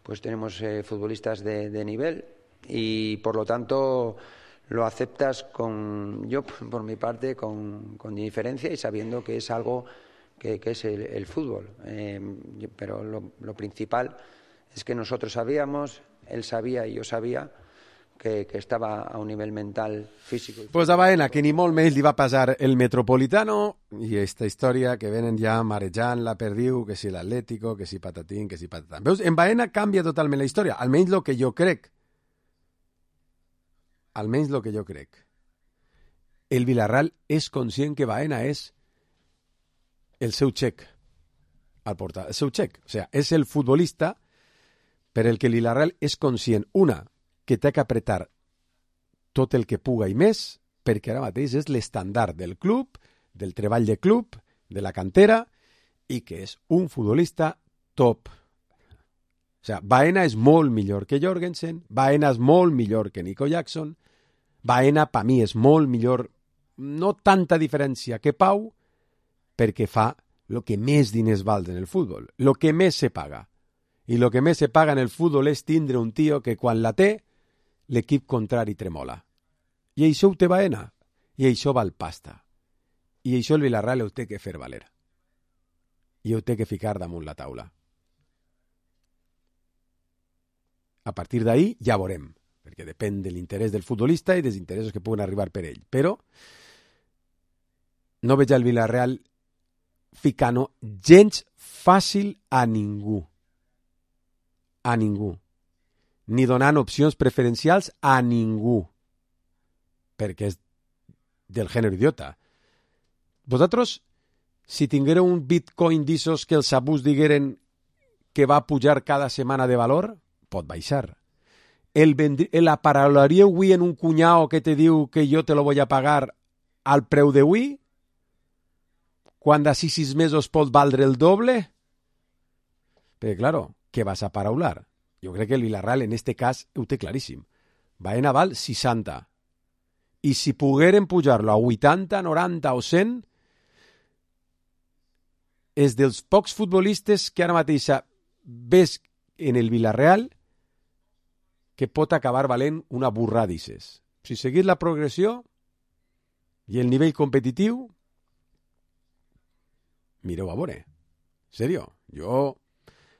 pues tenemos futbolistas de nivel y por lo tanto lo aceptas yo por mi parte con indiferencia y sabiendo que es algo que es el fútbol, pero lo principal es que nosotros sabíamos, él sabía y yo sabía que estaba a un nivell mental, físico. Pues a Baena, que ni molt menys li va passar el Metropolitano i aquesta història que venen ja marejant la perdiu, que si l'Atlético, que si patatín, que si patatán. Veus, en Baena canvia totalment la història, almenys el que jo crec. Almenys el que jo crec. El Villarreal és conscient que Baena és el seu xec al portal, el seu xec. O sigui, és el futbolista per el que el Villarreal és conscient, una, que té que apretar tot el que puga i més, perquè ara mateix és l'estandard del club, del treball de club, de la cantera, i que és un futbolista top. O sigui, Baena és molt millor que Jorgensen, Baena és molt millor que Nico Jackson, Baena, per mi, és molt millor, no tanta diferència que Pau, perquè fa el que més diners val en el futbol, el que més se paga. I el que més se paga en el futbol és tindre un tio que quan la té, l'equip contrari tremola. I això ho té Baena, i això val pasta. I això el Villarreal ho té que fer valer. I ho té que ficar damunt la taula. A partir d'ahí ja veurem, perquè depèn de l'interès del futbolista i dels interessos que puguen arribar per ell. Però no veig al Villarreal ficant gens fàcil a ningú. A ningú. Ni donant opcions preferencials a ningú. Perquè és del gènere idiota. Vosaltres, si tinguéreu un bitcoin d'issos que els abús digueren que va pujar cada setmana de valor, pot baixar. L'aparolaríeu avui en un cunyao que te diu que jo te lo voy a pagar al preu d'avui? Quan d'ací 6 mesos pot valdre el doble? Perquè, claro, què vas a paraular? Jo crec que el Villarreal, en este cas, ho té claríssim. Baena val 60. I si pogueren pujar-lo a 80, 90 o 100, és dels pocs futbolistes que ara mateix ves en el Villarreal que pot acabar valent una burradices. Si seguís la progressió i el nivell competitiu, mireu a veure. Serio, jo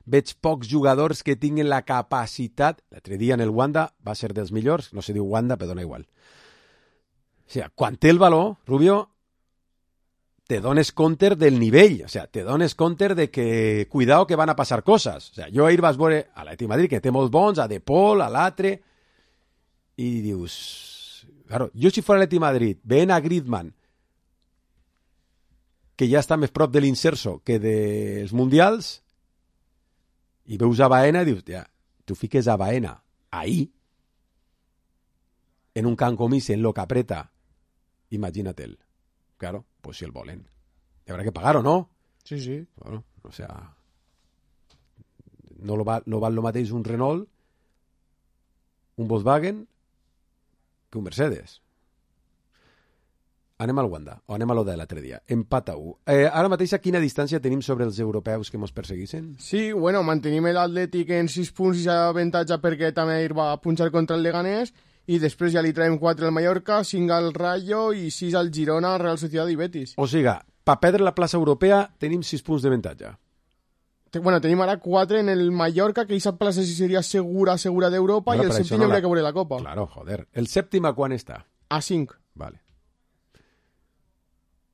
veig pocs jugadors que tinguin la capacitat. L'altre dia en el Wanda va ser dels millors, no se diu Wanda, però dona igual. O sigui, quan té el valor, Rubio, te dones compte del nivell, o sigui, te dones compte de que, cuidado, que van a passar coses. O sigui, jo ahir vas veure a l'Atlètic Madrid, que té molts bons, a De Paul, a l'altre, i dius, claro, jo si fos a l'Atlètic Madrid, veient a Griezmann, que ja està més prop de l'inserso que dels mundials, i veus a Baena i dius, ja, tu fiques a Baena ahí, en un camp com ese, en lo que apreta, imagínatelo. Claro, pues si el volen. Y habrá que pagar, ¿o no? Sí, sí. Bueno, o sea, no val lo mateix un Renault, un Volkswagen, que un Mercedes. Anem al Wanda, o anem a lo de l'altre dia. Empat a 1. Ara mateix, a quina distància tenim sobre els europeus que ens perseguissin? Sí, bueno, mantenim l'Atlètic en 6 punts i avantatge perquè també ahir va punxar contra el Leganés i després ja li traiem 4 al Mallorca, 5 al Rayo i 6 al Girona, Real Sociedad i Betis. O sigui, per perdre la plaça europea tenim 6 punts d'avantatge. Bueno, tenim ara 4 en el Mallorca, que aquesta plaça sí seria segura d'Europa, i el sèptim no hauria que veure la Copa. Claro, joder. El sèptim a quan està? A 5. Vale.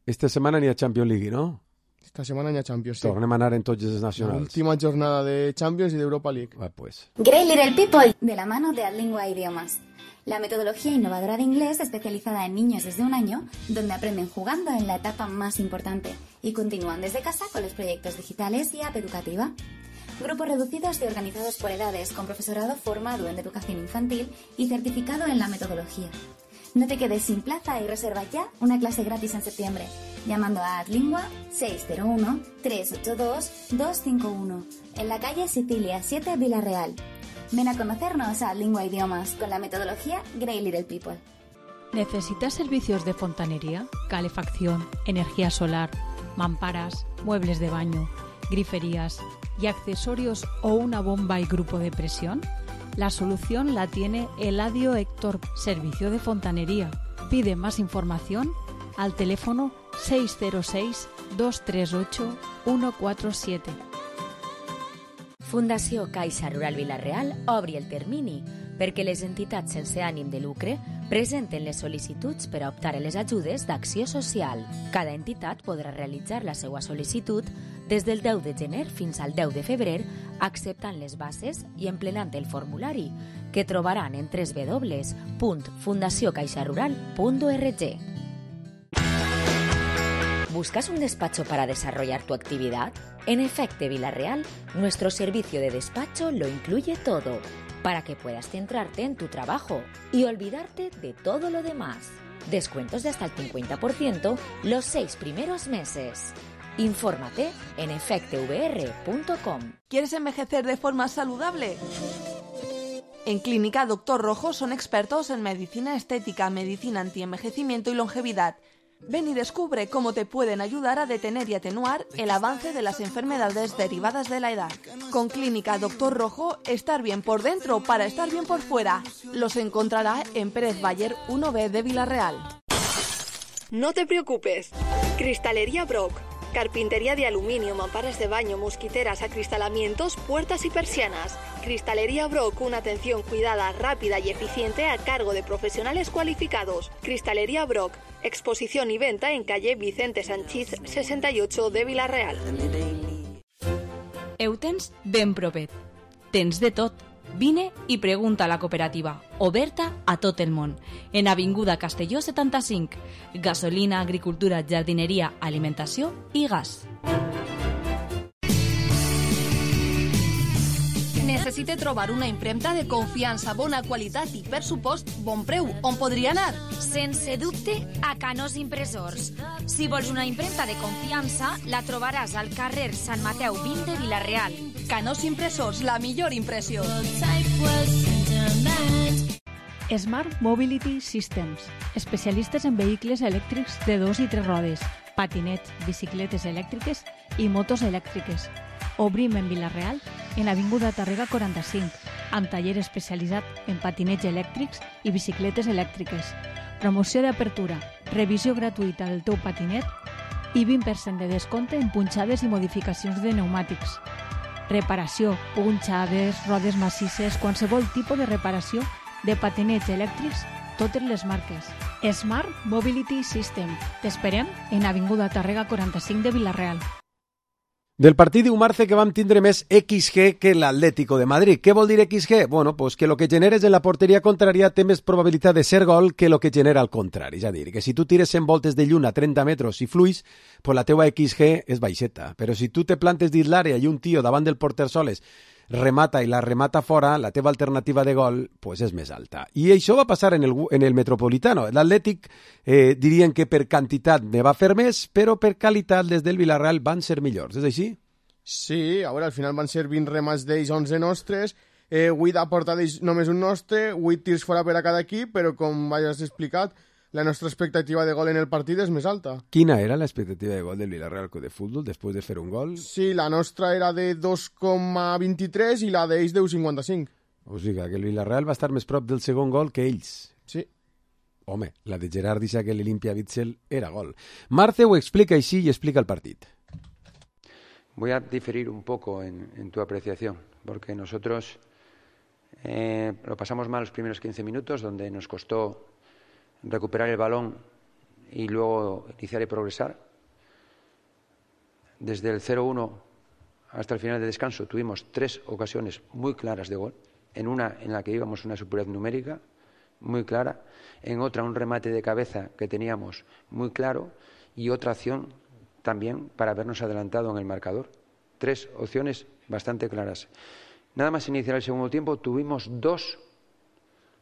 Esta setmana n'hi ha Champions League, ¿no? Esta setmana n'hi ha Champions, sí. Tornem a anar en tots els nacionals. L'última jornada de Champions y de Europa League. Ah, pues. Great Little People, de la mano de Adlingua Idiomas. la metodología innovadora de inglés especializada en niños desde 1 año, donde aprenden jugando en la etapa más importante y continúan desde casa con los proyectos digitales y app educativa. Grupos reducidos y organizados por edades con profesorado formado en educación infantil y certificado en la metodología. No te quedes sin plaza y reserva ya una clase gratis en septiembre, llamando a Adlingua 601-382-251, en la calle Sicilia 7, Villarreal. Ven a conocernos a Adlingua Idiomas con la metodología Grey Little People. ¿Necesitas servicios de fontanería, calefacción, energía solar, mamparas, muebles de baño, griferías y accesorios o una bomba y grupo de presión? La solución la tiene Eladio Héctor, Servicio de Fontanería. Pide más información al teléfono 606-238-147. Fundació Caixa Rural Vila-real obri el termini perquè les entitats sense ànim de lucre presenten les sol·licituds per a optar a les ajudes d'acció social. Cada entitat podrà realitzar la seva sol·licitud des del 10 de gener fins al 10 de febrer, acceptant les bases i emplenant el formulari, que trobaran en www.fundaciocaixarural.org. ¿Buscas un despacho para desarrollar tu actividad? En Efecte Vila-real, nuestro servicio de despacho lo incluye todo, para que puedas centrarte en tu trabajo y olvidarte de todo lo demás. Descuentos de hasta el 50% los 6 primeros meses. Infórmate en efectevr.com. ¿Quieres envejecer de forma saludable? En Clínica Dr. Rojo son expertos en medicina estética, medicina antienvejecimiento y longevidad. Ven y descubre cómo te pueden ayudar a detener y atenuar el avance de las enfermedades derivadas de la edad. Con Clínica Dr. Rojo, estar bien por dentro para estar bien por fuera. Los encontrará en Pérez Bayer 1B de Vila-real. No te preocupes. Cristalería Brock. Carpintería de aluminio, mamparas de baño, mosquiteras, acristalamientos, puertas y persianas. Cristalería Brock, una atención cuidada, rápida y eficiente a cargo de profesionales cualificados. Cristalería Brock, exposición y venta en calle Vicente Sanchís 68 de Vila-real. Eutens ben propet. Tens de tot. Vine i pregunta a la cooperativa, oberta a tot el món, en Avinguda Castelló 75, gasolina, agricultura, jardineria, alimentació i gas. Necessite trobar una impremta de confiança, bona qualitat i, per supost, bon preu. On podria anar? Sense dubte, a Canós Impressors. Si vols una impremta de confiança, la trobaràs al carrer Sant Mateu 20 de Vila-real. Canós Impressors, la millor impressió. Smart Mobility Systems, especialistes en vehicles elèctrics de 2 i 3 rodes, patinets, bicicletes elèctriques i motos elèctriques. Obrim en Vila-real, en l'Avinguda Tàrrega 45, amb taller especialitzat en patinets elèctrics i bicicletes elèctriques. Promoció d'apertura, revisió gratuïta del teu patinet i 20% de descompte en punxades i modificacions de pneumàtics. Reparació, punxades, rodes massisses, qualsevol tipus de reparació de patinets elèctrics, totes les marques. Smart Mobility System. T'esperem en Avinguda Tàrrega 45 de Vila-real. Del partit dimarts que vam tindre més XG que l'Atlético de Madrid. Què vol dir XG? Bueno, pues que lo que generes en la porteria contrària té més probabilitat de ser gol que lo que genera al contrari. És a dir, que si tu tires 100 voltes de lluna a 30 metres i fluix, pues la teua XG és baixeta. Però si tu te plantes dins l'àrea i un tio davant del porter soles remata i la remata fora, la teva alternativa de gol pues és més alta. I això va passar en el Metropolitano. L'Atlètic dirien que per quantitat ne va fer més, però per qualitat des del Villarreal van ser millors. És així? Sí, a veure, al final van ser 20 remats d'ells, 11 nostres, 8 a porta d'ells només un nostre, 8 tirs fora per a cada equip, però com has explicat, la nostra expectativa de gol en el partit és més alta. Quina era l'expectativa de gol del Villarreal Club de Futbol després de fer un gol? Sí, la nostra era de 2,23 i la d'ells de 1,55. O sigui que el Villarreal va estar més prop del segon gol que ells. Sí. Home, la de Gerard dice que l'Olimpia Witzel era gol. Marce ho explica així i explica el partit. Voy a diferir un poco en tu apreciación, porque nosotros lo pasamos mal los primeros 15 minutos, donde nos costó recuperar el balón y luego iniciar y progresar. Desde el 0-1 hasta el final del descanso tuvimos 3 ocasiones muy claras de gol, en una en la que íbamos una superioridad numérica muy clara, en otra un remate de cabeza que teníamos muy claro y otra acción también para habernos adelantado en el marcador. 3 opciones bastante claras. Nada más iniciar el segundo tiempo tuvimos 2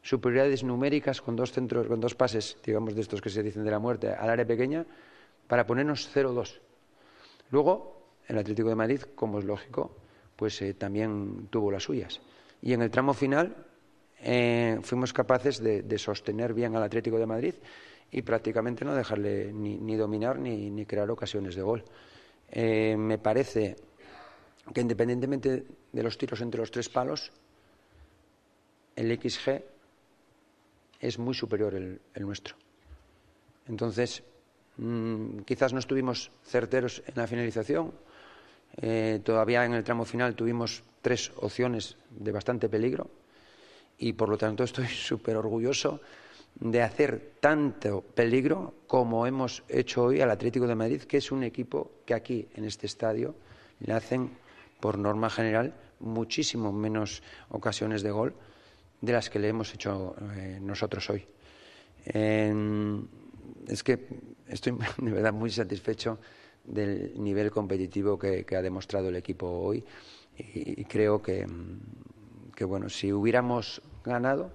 superioridades numéricas con 2 centros, con 2 pases, digamos, de estos que se dicen de la muerte al área pequeña, para ponernos 0-2. Luego, el Atlético de Madrid, como es lógico, pues también tuvo las suyas. Y en el tramo final fuimos capaces de sostener bien al Atlético de Madrid y prácticamente no dejarle ni dominar ni crear ocasiones de gol. Me parece que independientemente de los tiros entre los 3 palos, el XG es muy superior el nuestro. Entonces, quizás no estuvimos certeros en la finalización. Todavía en el tramo final tuvimos 3 opciones de bastante peligro y por lo tanto estoy súper orgulloso de hacer tanto peligro como hemos hecho hoy al Atlético de Madrid, que es un equipo que aquí en este estadio le hacen por norma general muchísimo menos ocasiones de gol de las que le hemos hecho nosotros hoy. Es que estoy de verdad muy satisfecho del nivel competitivo que ha demostrado el equipo hoy y creo que bueno, si hubiéramos ganado,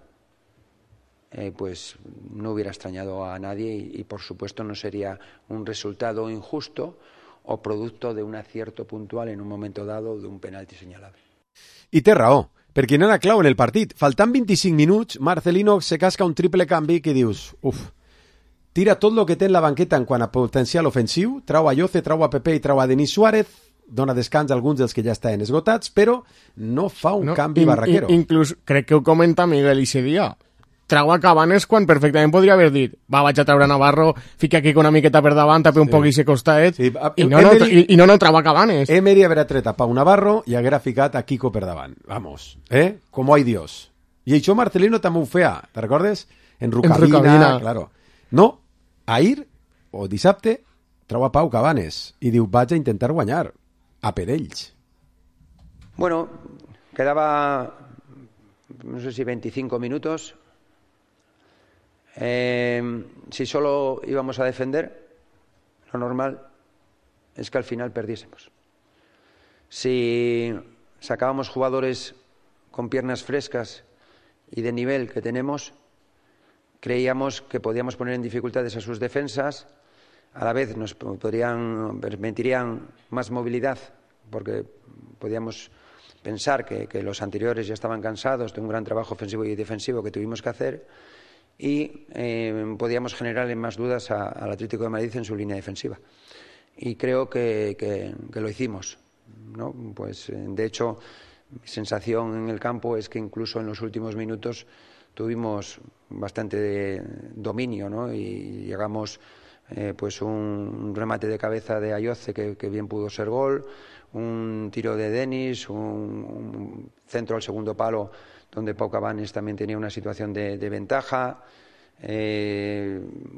pues no hubiera extrañado a nadie y por supuesto no sería un resultado injusto o producto de un acierto puntual en un momento dado de un penalti señalable. I té raó, perquè no era clau en el partit. Faltant 25 minuts, Marcelino se casca un triple canvi que dius, tira tot el que té en la banqueta en quant a potencial ofensiu, trau a Lloce, trau a Pepe i trau a Denis Suárez, dona descans a alguns dels que ja estaven esgotats, però no fa un canvi barraquero. Inclús crec que ho comenta Miguel ese dia. Trau a Cabanes quan perfectament podria haver dit vaig a treure Navarro, fica aquí una miqueta per davant, tape un poc i se costaet, i no trau a Cabanes. Emery haguera tret a Pau Navarro i haguera ficat a Kiko per davant. Vamos, como hay Dios. I això Marcelino també ho feia, te recordes? En Rucabina, claro. No, ahir o dissabte trau a Pau Cabanes i diu vaig a intentar guanyar a per ells. Bueno, quedaba no sé si 25 minutos. Si solo íbamos a defender, lo normal es que al final perdiésemos. Si sacábamos jugadores con piernas frescas y de nivel que tenemos, creíamos que podíamos poner en dificultades a sus defensas, a la vez nos permitirían más movilidad, porque podíamos pensar que los anteriores ya estaban cansados de un gran trabajo ofensivo y defensivo que tuvimos que hacer, y podíamos generarle más dudas al Atlético de Madrid en su línea defensiva. Y creo que lo hicimos, ¿no? Pues, de hecho, mi sensación en el campo es que incluso en los últimos minutos tuvimos bastante dominio, ¿no? Y llegamos pues un remate de cabeza de Ayoce que bien pudo ser gol, un tiro de Denis, un centro al segundo palo donde Pau Cabanes también tenía una situación de ventaja.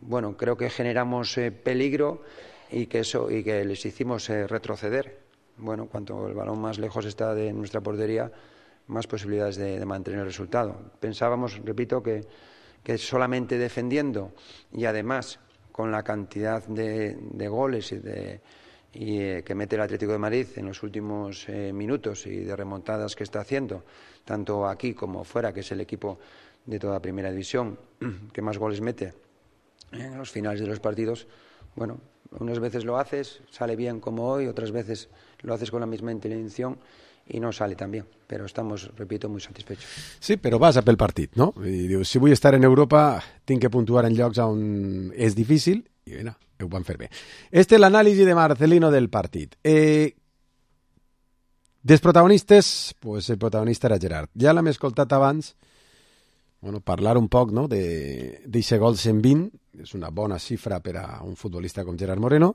Bueno, creo que generamos peligro y que les hicimos retroceder. Bueno, cuanto el balón más lejos está de nuestra portería, más posibilidades de mantener el resultado. Pensábamos, repito, que solamente defendiendo y además con la cantidad de goles que mete el Atlético de Madrid en los últimos minutos y de remontadas que está haciendo, tanto aquí como fuera, que es el equipo de toda primera división que más goles mete en los finales de los partidos. Bueno, unas veces lo haces, sale bien como hoy, otras veces lo haces con la misma intención i no sale tan bien, però estamos, repito, muy satisfechos. Sí, però vas a pel partit, no? I dius, si vull estar en Europa, tinc que puntuar en llocs on és difícil, i bé, ho van fer bé. Este és l'anàlisi de Marcelino del partit. Dels protagonistes, pues el protagonista era Gerard. Ja l'hem escoltat abans, bueno, parlar un poc, no?, d'eixe gol 120, és una bona xifra per a un futbolista com Gerard Moreno.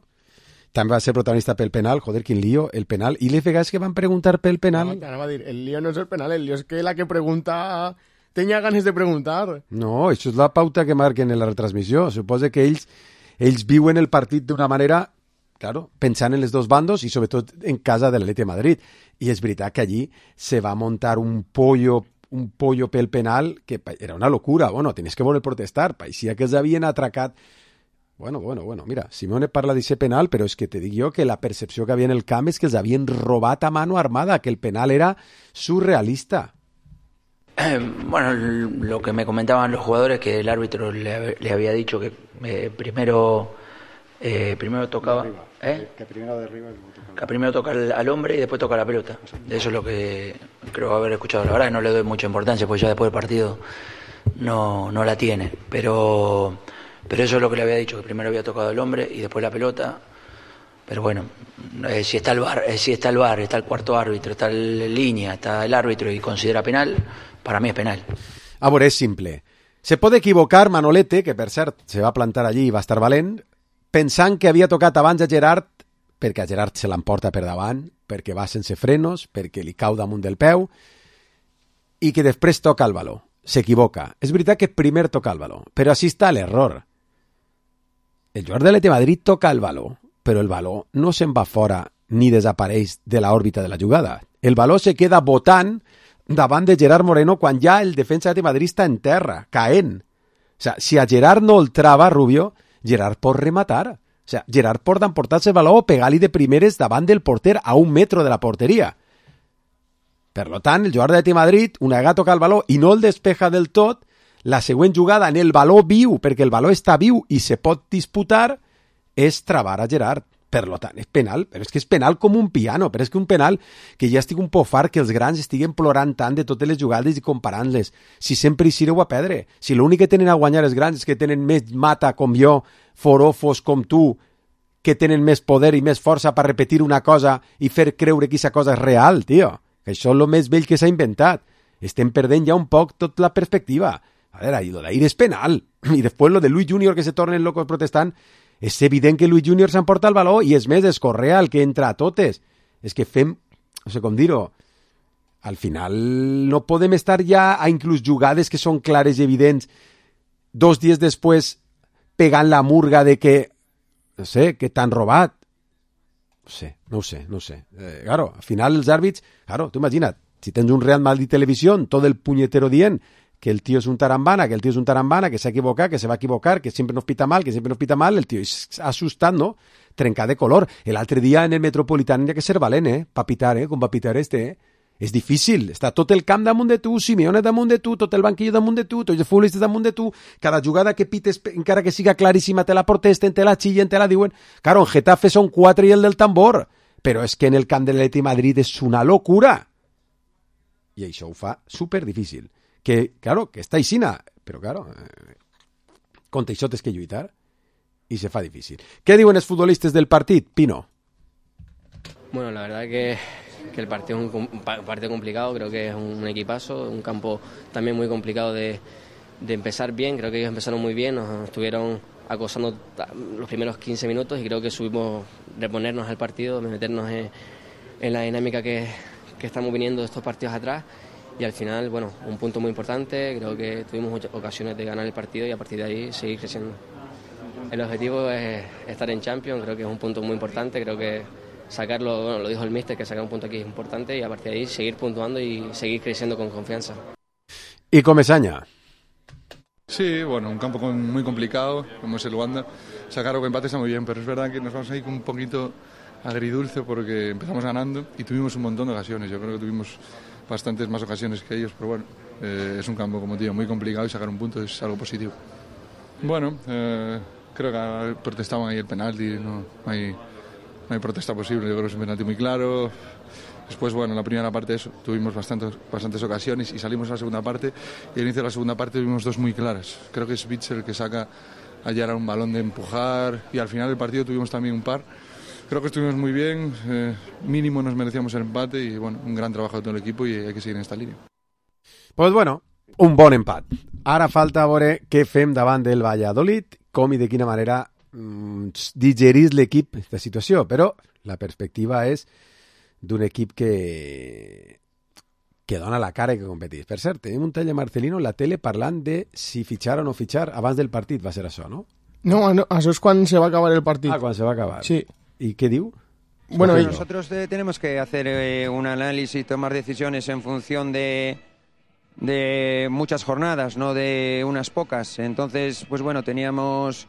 També va ser protagonista pel penal, joder, quin lío, el penal. I les vegades que van preguntar pel penal... No, va dir, el lío no és el penal, el lío és que la que pregunta tenia ganes de preguntar. No, això és la pauta que marquen en la retransmissió. Suposa que ells viuen el partit d'una manera, claro, pensant en els dos bandos i sobretot en casa de l'Atleti de Madrid. I és veritat que allí se va muntar un pollo un pollo pel penal que era una locura. Bueno, tenies que voler protestar. Paeixia que els havien atracat. Bueno, mira, Simone parla d'aquest penal, però és que te dic jo que la percepció que havia en el camp és que els havien robat a mano armada, que el penal era surrealista. Bueno, lo que me comentaban los jugadores, que el árbitro le había dicho que primero tocaba, que primero derriba que primero toca al hombre y después toca la pelota. Eso es lo que creo haber escuchado. La verdad que no le doy mucha importancia, porque ya después del partido no la tiene, pero eso es lo que le había dicho, que primero había tocado al hombre y después la pelota. Pero bueno, si está el VAR, está el cuarto árbitro, está la línea, está el árbitro y considera penal, para mí es penal. A veure, és simple. Se pot equivocar Manolete, que per cert se va plantar allí i va estar valent, pensant que havia tocat abans a Gerard, perquè a Gerard se l'emporta per davant, perquè va sense frenos, perquè li cau damunt del peu, i que després toca el baló. S'equivoca. És veritat que primer toca el baló, però així està l'error. El jugador de l'Atlètic de Madrid toca el baló, però el baló no se'n va fora ni desapareix de l'òrbita de la jugada. El baló se queda botant davant de Gerard Moreno quan ja el defensa de Madrid està en terra, caent. O sea, si a Gerard no el trava Rubio, Gerard pot rematar. O sea, Gerard pot emportar-se el baló o pegar-li de primeres davant del porter a 1 metro de la porteria. Per tant, el jugador de Madrid, una vegada toca el baló i no el despeja del tot, la següent jugada en el baló viu, perquè el baló està viu i se pot disputar, és travar a Gerard. Per tant, és penal, però és que és penal com un piano, però és que un penal que ja estic un poc fart que els grans estiguen plorant tant de totes les jugades i comparant-les. Si sempre hi sireu a perdre. Si l'únic que tenen a guanyar els grans és que tenen més mata com jo, forofos com tu, que tenen més poder i més força per repetir una cosa i fer creure que aquesta cosa és real, tio. Que això és el més vell que s'ha inventat. Estem perdent ja un poc tota la perspectiva. A veure, i lo d'ahir és penal. I després lo de Luis Junior que se tornen locos protestant. És evident que Luis Junior s'emporta el baló i és més, és Correa el que entra a totes. És que fem, no sé com dir-ho, al final no podem estar ja a inclús jugades que són clares i evidents 2 dies després pegant la murga de que, no sé, que t'han robat. No sé. Claro, al final els àrbits, claro, tu imagina't, si tens un Real Madrid Televisión, tot el punyetero dient que el tío es un tarambana, que s'ha equivocat, que se va equivocar, que sempre nos pita mal, el tío és assustat, no? Trencar de color. L'altre dia en el Metropolitano hi ha que ser valent, pa pitar, com va pitar este, És difícil, està tot el camp damunt de tu, Simeone damunt de tu, tot el banquillo damunt de tu, tots els futbolistes damunt de tu, cada jugada que pites, encara que siga claríssima, te la protesten, te la chillen, te la diuen. Claro, en Getafe són 4 i el del tambor, però és que en el camp de l'Atlètic de Madrid és una locura. I això ho fa super difícil. Que, claro, que està aixina, però, claro, contra això tens que lluitar i se fa difícil. Què diuen els futbolistes del partit, Pino? Bueno, la verdad que el partido es un partido complicado, creo que es un equipazo, un campo también muy complicado de empezar bien, creo que ellos empezaron muy bien, nos estuvieron acosando los primeros 15 minutos y creo que subimos reponernos al partido, meternos en la dinámica que estamos viniendo de estos partidos atrás y al final, bueno, un punto muy importante, creo que tuvimos muchas ocasiones de ganar el partido y a partir de ahí seguir creciendo. El objetivo es estar en Champions, creo que es un punto muy importante, creo que sacarlo, bueno, lo dijo el míster, que sacar un punto aquí es importante y a partir de ahí seguir puntuando y seguir creciendo con confianza. ¿Y Comesaña? Sí, bueno, un campo muy complicado, como es el Wanda. Sacar o empate está muy bien, pero es verdad que nos vamos ahí con un poquito agridulce porque empezamos ganando y tuvimos un montón de ocasiones. Yo creo que tuvimos bastantes más ocasiones que ellos, pero bueno, es un campo, como te digo, muy complicado y sacar un punto es algo positivo. Bueno, creo que protestaban ahí el penalti, no hay protesta posible, yo creo que es un penalti muy claro. Después, bueno, en la primera parte eso, tuvimos bastantes ocasiones y salimos a la segunda parte y al inicio de la segunda parte tuvimos dos muy claras. Creo que es Witsel el que saca a Yara un balón de empujar y al final del partido tuvimos también un par. Creo que estuvimos muy bien, mínimo nos merecíamos el empate y bueno, un gran trabajo de todo el equipo y hay que seguir en esta línea. Pues bueno, un bon empat. Ara falta veure què fem davant del Valladolid, com i de quina manera digerís l'equip aquesta situació, però la perspectiva és d'un equip que dona la cara i que competís. Per cert, tenim un tall de Marcelino en la tele parlant de si fitxar o no fitxar abans del partit, va ser això, no? No, això és quan se va acabar el partit. Ah, quan se va acabar. Sí. ¿Y qué digo? Bueno, nosotros tenemos que hacer un análisis y tomar decisiones en función de de muchas jornadas, no de unas pocas. Entonces, pues bueno, teníamos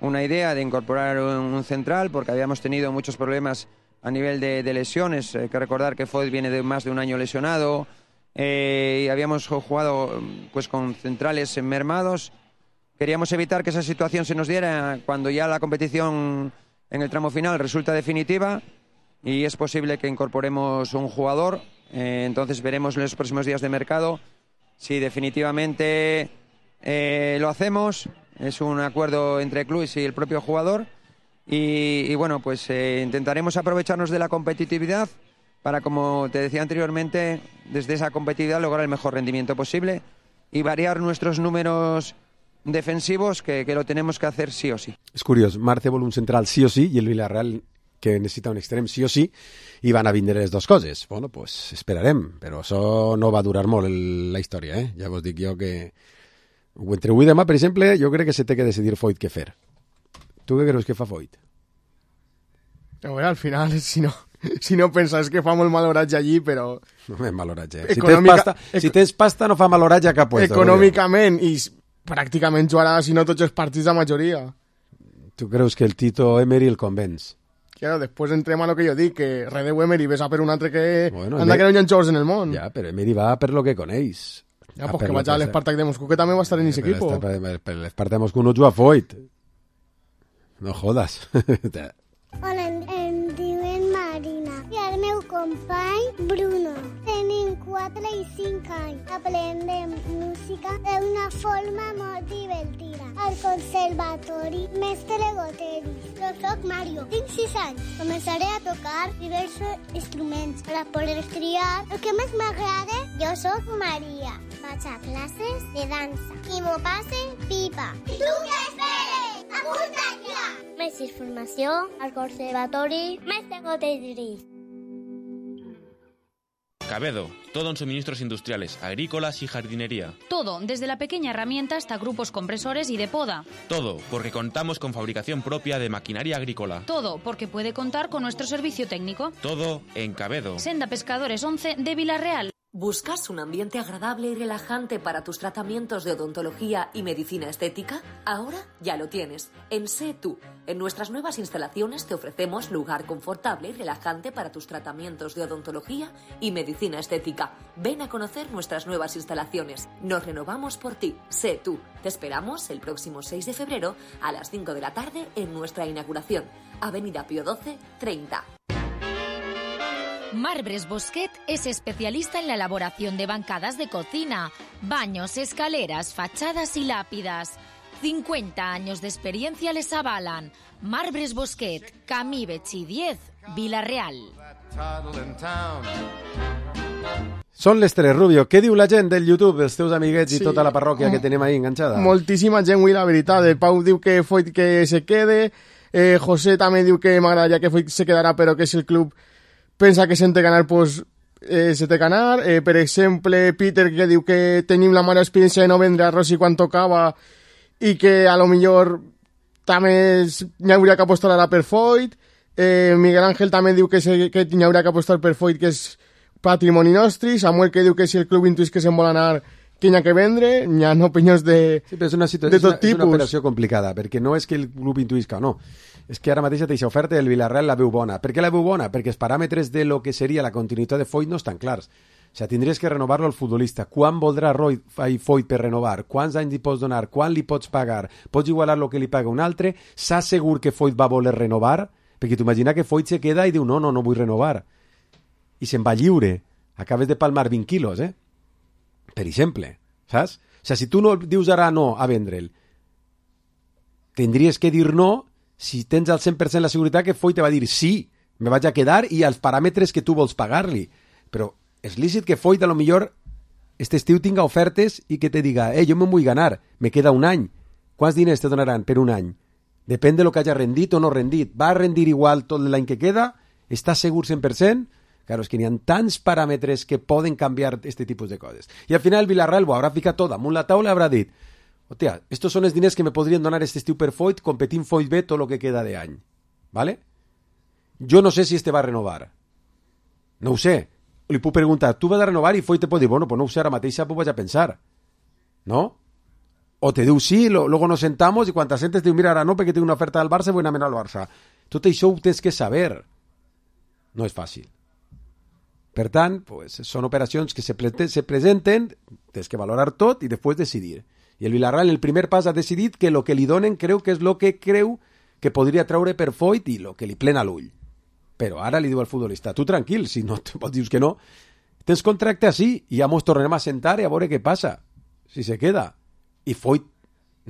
una idea de incorporar un central porque habíamos tenido muchos problemas a nivel de lesiones. Hay que recordar que Foyt viene de más de un año lesionado y habíamos jugado pues con centrales mermados. Queríamos evitar que esa situación se nos diera cuando ya la competición en el tramo final resulta definitiva y es posible que incorporemos un jugador. Entonces veremos en los próximos días de mercado si definitivamente lo hacemos. Es un acuerdo entre clubes y el propio jugador y bueno, pues intentaremos aprovecharnos de la competitividad para, como te decía anteriormente, desde esa competitividad lograr el mejor rendimiento posible y variar nuestros números defensivos, que lo tenemos que hacer sí o sí. És curiós, Marce vol un central sí o sí i el Villarreal que necessita un extrem sí o sí i van a vindre les dues coses. Bueno, pues esperarem, però això no va durar molt la història, eh? Ja vos dic jo que entre avui i demà, per exemple, jo crec que se té que decidir Foyt què fer. Tu què creus que fa Foyt? A veure, al final, si no penses que fa molt mal oratge allí, però... No és mal oratge. Si tens pasta no fa mal oratge a cap puesto. Econòmicament i pràcticament jugarà, si no tots els partits de majoria. Tu creus que el Tito Emery el convenç? Claro, després entrem a lo que jo dic, que redeu Emery ves a per un altre que anda que no hi ha jugadors en el món. Ja, però Emery va per lo que coneix. Ja, pues que vaig a l'Spartak de Moscú, que també va estar en aquest equip. Per l'Spartak de Moscú no juga Foyt. No jodas. Hola, em diuen Marina i el meu company Bruno. Tenim 4 i 5 anys. Aprendem música d'una forma molt divertida. Al conservatori Mestre Goteri. Jo soc Mario, tinc 6 anys. Començaré a tocar diversos instruments per a poder triar el que més m'agrada. Jo soc Maria. Vaig a classes de dansa i m'ho passe pipa. I tu què esperes? Apunta't ja! Més informació al conservatori Mestre Goteri. Cabedo, todo en suministros industriales, agrícolas y jardinería. Todo, desde la pequeña herramienta hasta grupos compresores y de poda. Todo, porque contamos con fabricación propia de maquinaria agrícola. Todo, porque puede contar con nuestro servicio técnico. Todo en Cabedo. Senda Pescadores 11 de Villarreal. ¿Buscas un ambiente agradable y relajante para tus tratamientos de odontología y medicina estética? Ahora ya lo tienes. En Sé Tú. En nuestras nuevas instalaciones te ofrecemos lugar confortable y relajante para tus tratamientos de odontología y medicina estética. Ven a conocer nuestras nuevas instalaciones. Nos renovamos por ti. Sé Tú. Te esperamos el próximo 6 de febrero a las 5 de la tarde en nuestra inauguración. Avenida Pío XII, 30. Marbres Bosquet es especialista en la elaboración de bancadas de cocina, baños, escaleras, fachadas y lápidas. 50 años de experiencia les avalan. Marbres Bosquet, Camí Betxí 10, Villarreal. Són les 3, Rubio. Què diu la gent del YouTube, els teus amiguets i tota la parròquia que tenim ahí enganxada? Moltíssima gent, la veritat. El Pau diu que Foyt que se quede. José també diu que m'agradaria que Foyt se quedarà, però que si el club pensa que s'han de ganar, pues se té que anar. Per exemple, Peter, que diu que tenim la mala experiència de no vendre a Rossi quan tocava i que a lo millor també n'hi hauria que apostar ara per Foyt. Miguel Ángel també diu que n'hi hauria que apostar per Foyt, que és patrimoni nostre. Samuel, que diu que si el club intuís que se'n vol anar, que n'hi ha que vendre. N'hi ha opinions de tot tipus. És una operació complicada, perquè no és que el club intuïsca o no. És que ara mateix aquesta oferta del Villarreal la veu bona. Per què la veu bona? Perquè els paràmetres de lo que seria la continuïtat de Foyt no estan clars. O sigui, tindries que renovar-lo al futbolista. Quan voldrà Foyt per renovar? Quants anys li pots donar? Quan li pots pagar? Pots igualar el que li paga un altre? Saps segur que Foyt va voler renovar? Perquè t'imagina que Foyt se queda i diu no vull renovar. I se'n va lliure. Acabes de palmar 20 quilos, per exemple. Saps? O sigui, si tu no dius ara no a vendre'l, tindries que dir no si tens al 100% la seguretat que Foyt te va dir sí, me vaig a quedar i als paràmetres que tu vols pagar-li. Però és lícit que Foyt a lo millor este estiu tinga ofertes i que te diga jo me'n vull ganar, me queda un any. Quants diners te donaran per un any? Depèn de lo que hagi rendit o no rendit. Va a rendir igual tot l'any que queda? Estàs segur 100%? Claro, és que n'hi ha tants paràmetres que poden canviar este tipus de coses. I al final Villarreal ho haurà ficat tot damunt la taula i haurà dit hòstia, estos són els diners que me podrien donar este estiu per Foyt, competint Foyt B tot lo que queda de any. ¿Vale? Jo no sé si este va a renovar. No ho sé. li puc preguntar, tu vas a renovar? I Foyt te pot dir, bueno, pues no ho sé, ara mateixa pues vaig a pensar. ¿No? O te diu sí, luego nos sentamos y cuando te sentes te diu, mira, ara no, perquè tinc una oferta del Barça, vull anar al Barça. Tot això ho tens que saber. No és fàcil. Per tant, pues, són operacions que se presenten, tens que valorar tot i després decidir. I el Villarreal, en el primer pas, ha decidit que el que li donen creu que és el que creu que podria treure per Foyt i el que li plena l'ull. Però ara li diu al futbolista, tu tranquil, si no pots dius que no, tens contracte així i ja mos tornarem a sentar i a veure què passa, si se queda. I Foyt,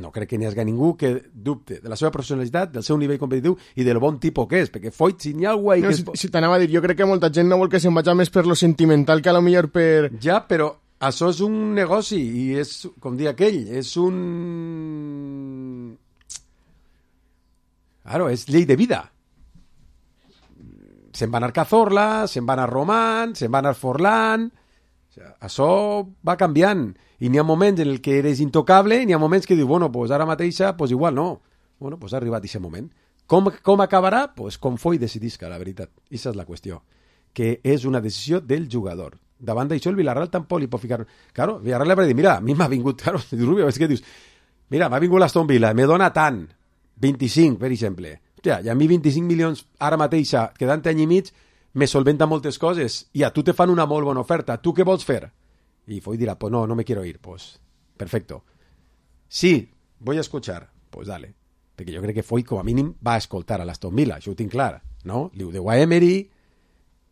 no crec que n'hi hagi ningú que dubte de la seva professionalitat, del seu nivell competitiu i del bon tipus que és, perquè Foyt, si n'hi ha algú... No, si t'anava a dir, jo crec que molta gent no vol que se'n vagi més per lo sentimental que a lo millor per... Ja, però això és un negoci i és, com dir aquell, és un... Claro, és llei de vida. Se'n va anar Cazorla, se'n va anar Román, se'n va anar Forlán... O sea, això va canviant. I n'hi ha moments en el que eres intocable i n'hi ha moments que dius, bueno, pues ara mateixa, pues igual no. Bueno, pues ha arribat aquest moment. Com acabarà? Pues com Foyt decidisca, la veritat. Aquesta és la qüestió. Que és una decisió del jugador. Davant d'això, el Villarreal tampoc li pot ficar... Claro, el Villarreal li va dir, mira, a mi m'ha vingut... Claro, Rubio, és que dius, mira, m'ha vingut l'Aston Villa, me dona tant, 25, per exemple. Hòstia, i a mi 25 milions ara mateixa, quedant any i mig, me solventa moltes coses. I a tu te fan una molt bona oferta. Tu què vols fer? Y Foyt dirá, pues no me quiero ir. Pues, perfecto. Sí, voy a escuchar. Pues dale. Perquè jo crec que Foyt, com a mínim, va a escoltar a l'Aston Villa. Això ho tinc clar, no? Li ho deu a Emery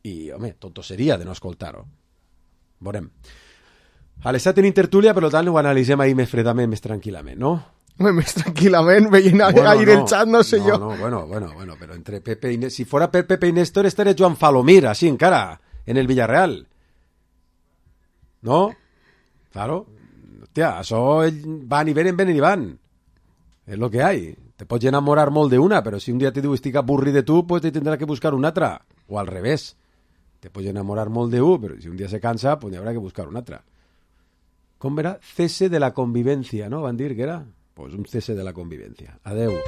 i, home, tonto seria de no escoltar-ho. Veurem. A les 7 tenim tertúlia, per tant, ho analitzem ahir més fredament, més tranquil·lament, no? Home, més tranquil·lament, veient aire el xat, no sé jo. No, bueno, però entre Pepe i Néstor... Si fora per Pepe i Néstor, estaria Joan Falomir, així encara, en el Villarreal. ¿No? Claro. Hostia, això van i venen i van. És lo que hay. Te pots enamorar molt d'una, però si un dia te diu estic avorrit de tu, pues te tindrà que buscar una altra. O al revés. Te pots enamorar molt d'un, però si un dia se cansa, pues habrá que buscar una altra. Com era? Cese de la convivencia, ¿no? Van dir que era? Pues un cese de la convivencia. Adeu.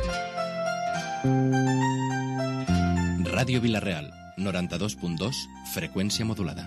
Ràdio Vilareal, 92.2, freqüència modulada.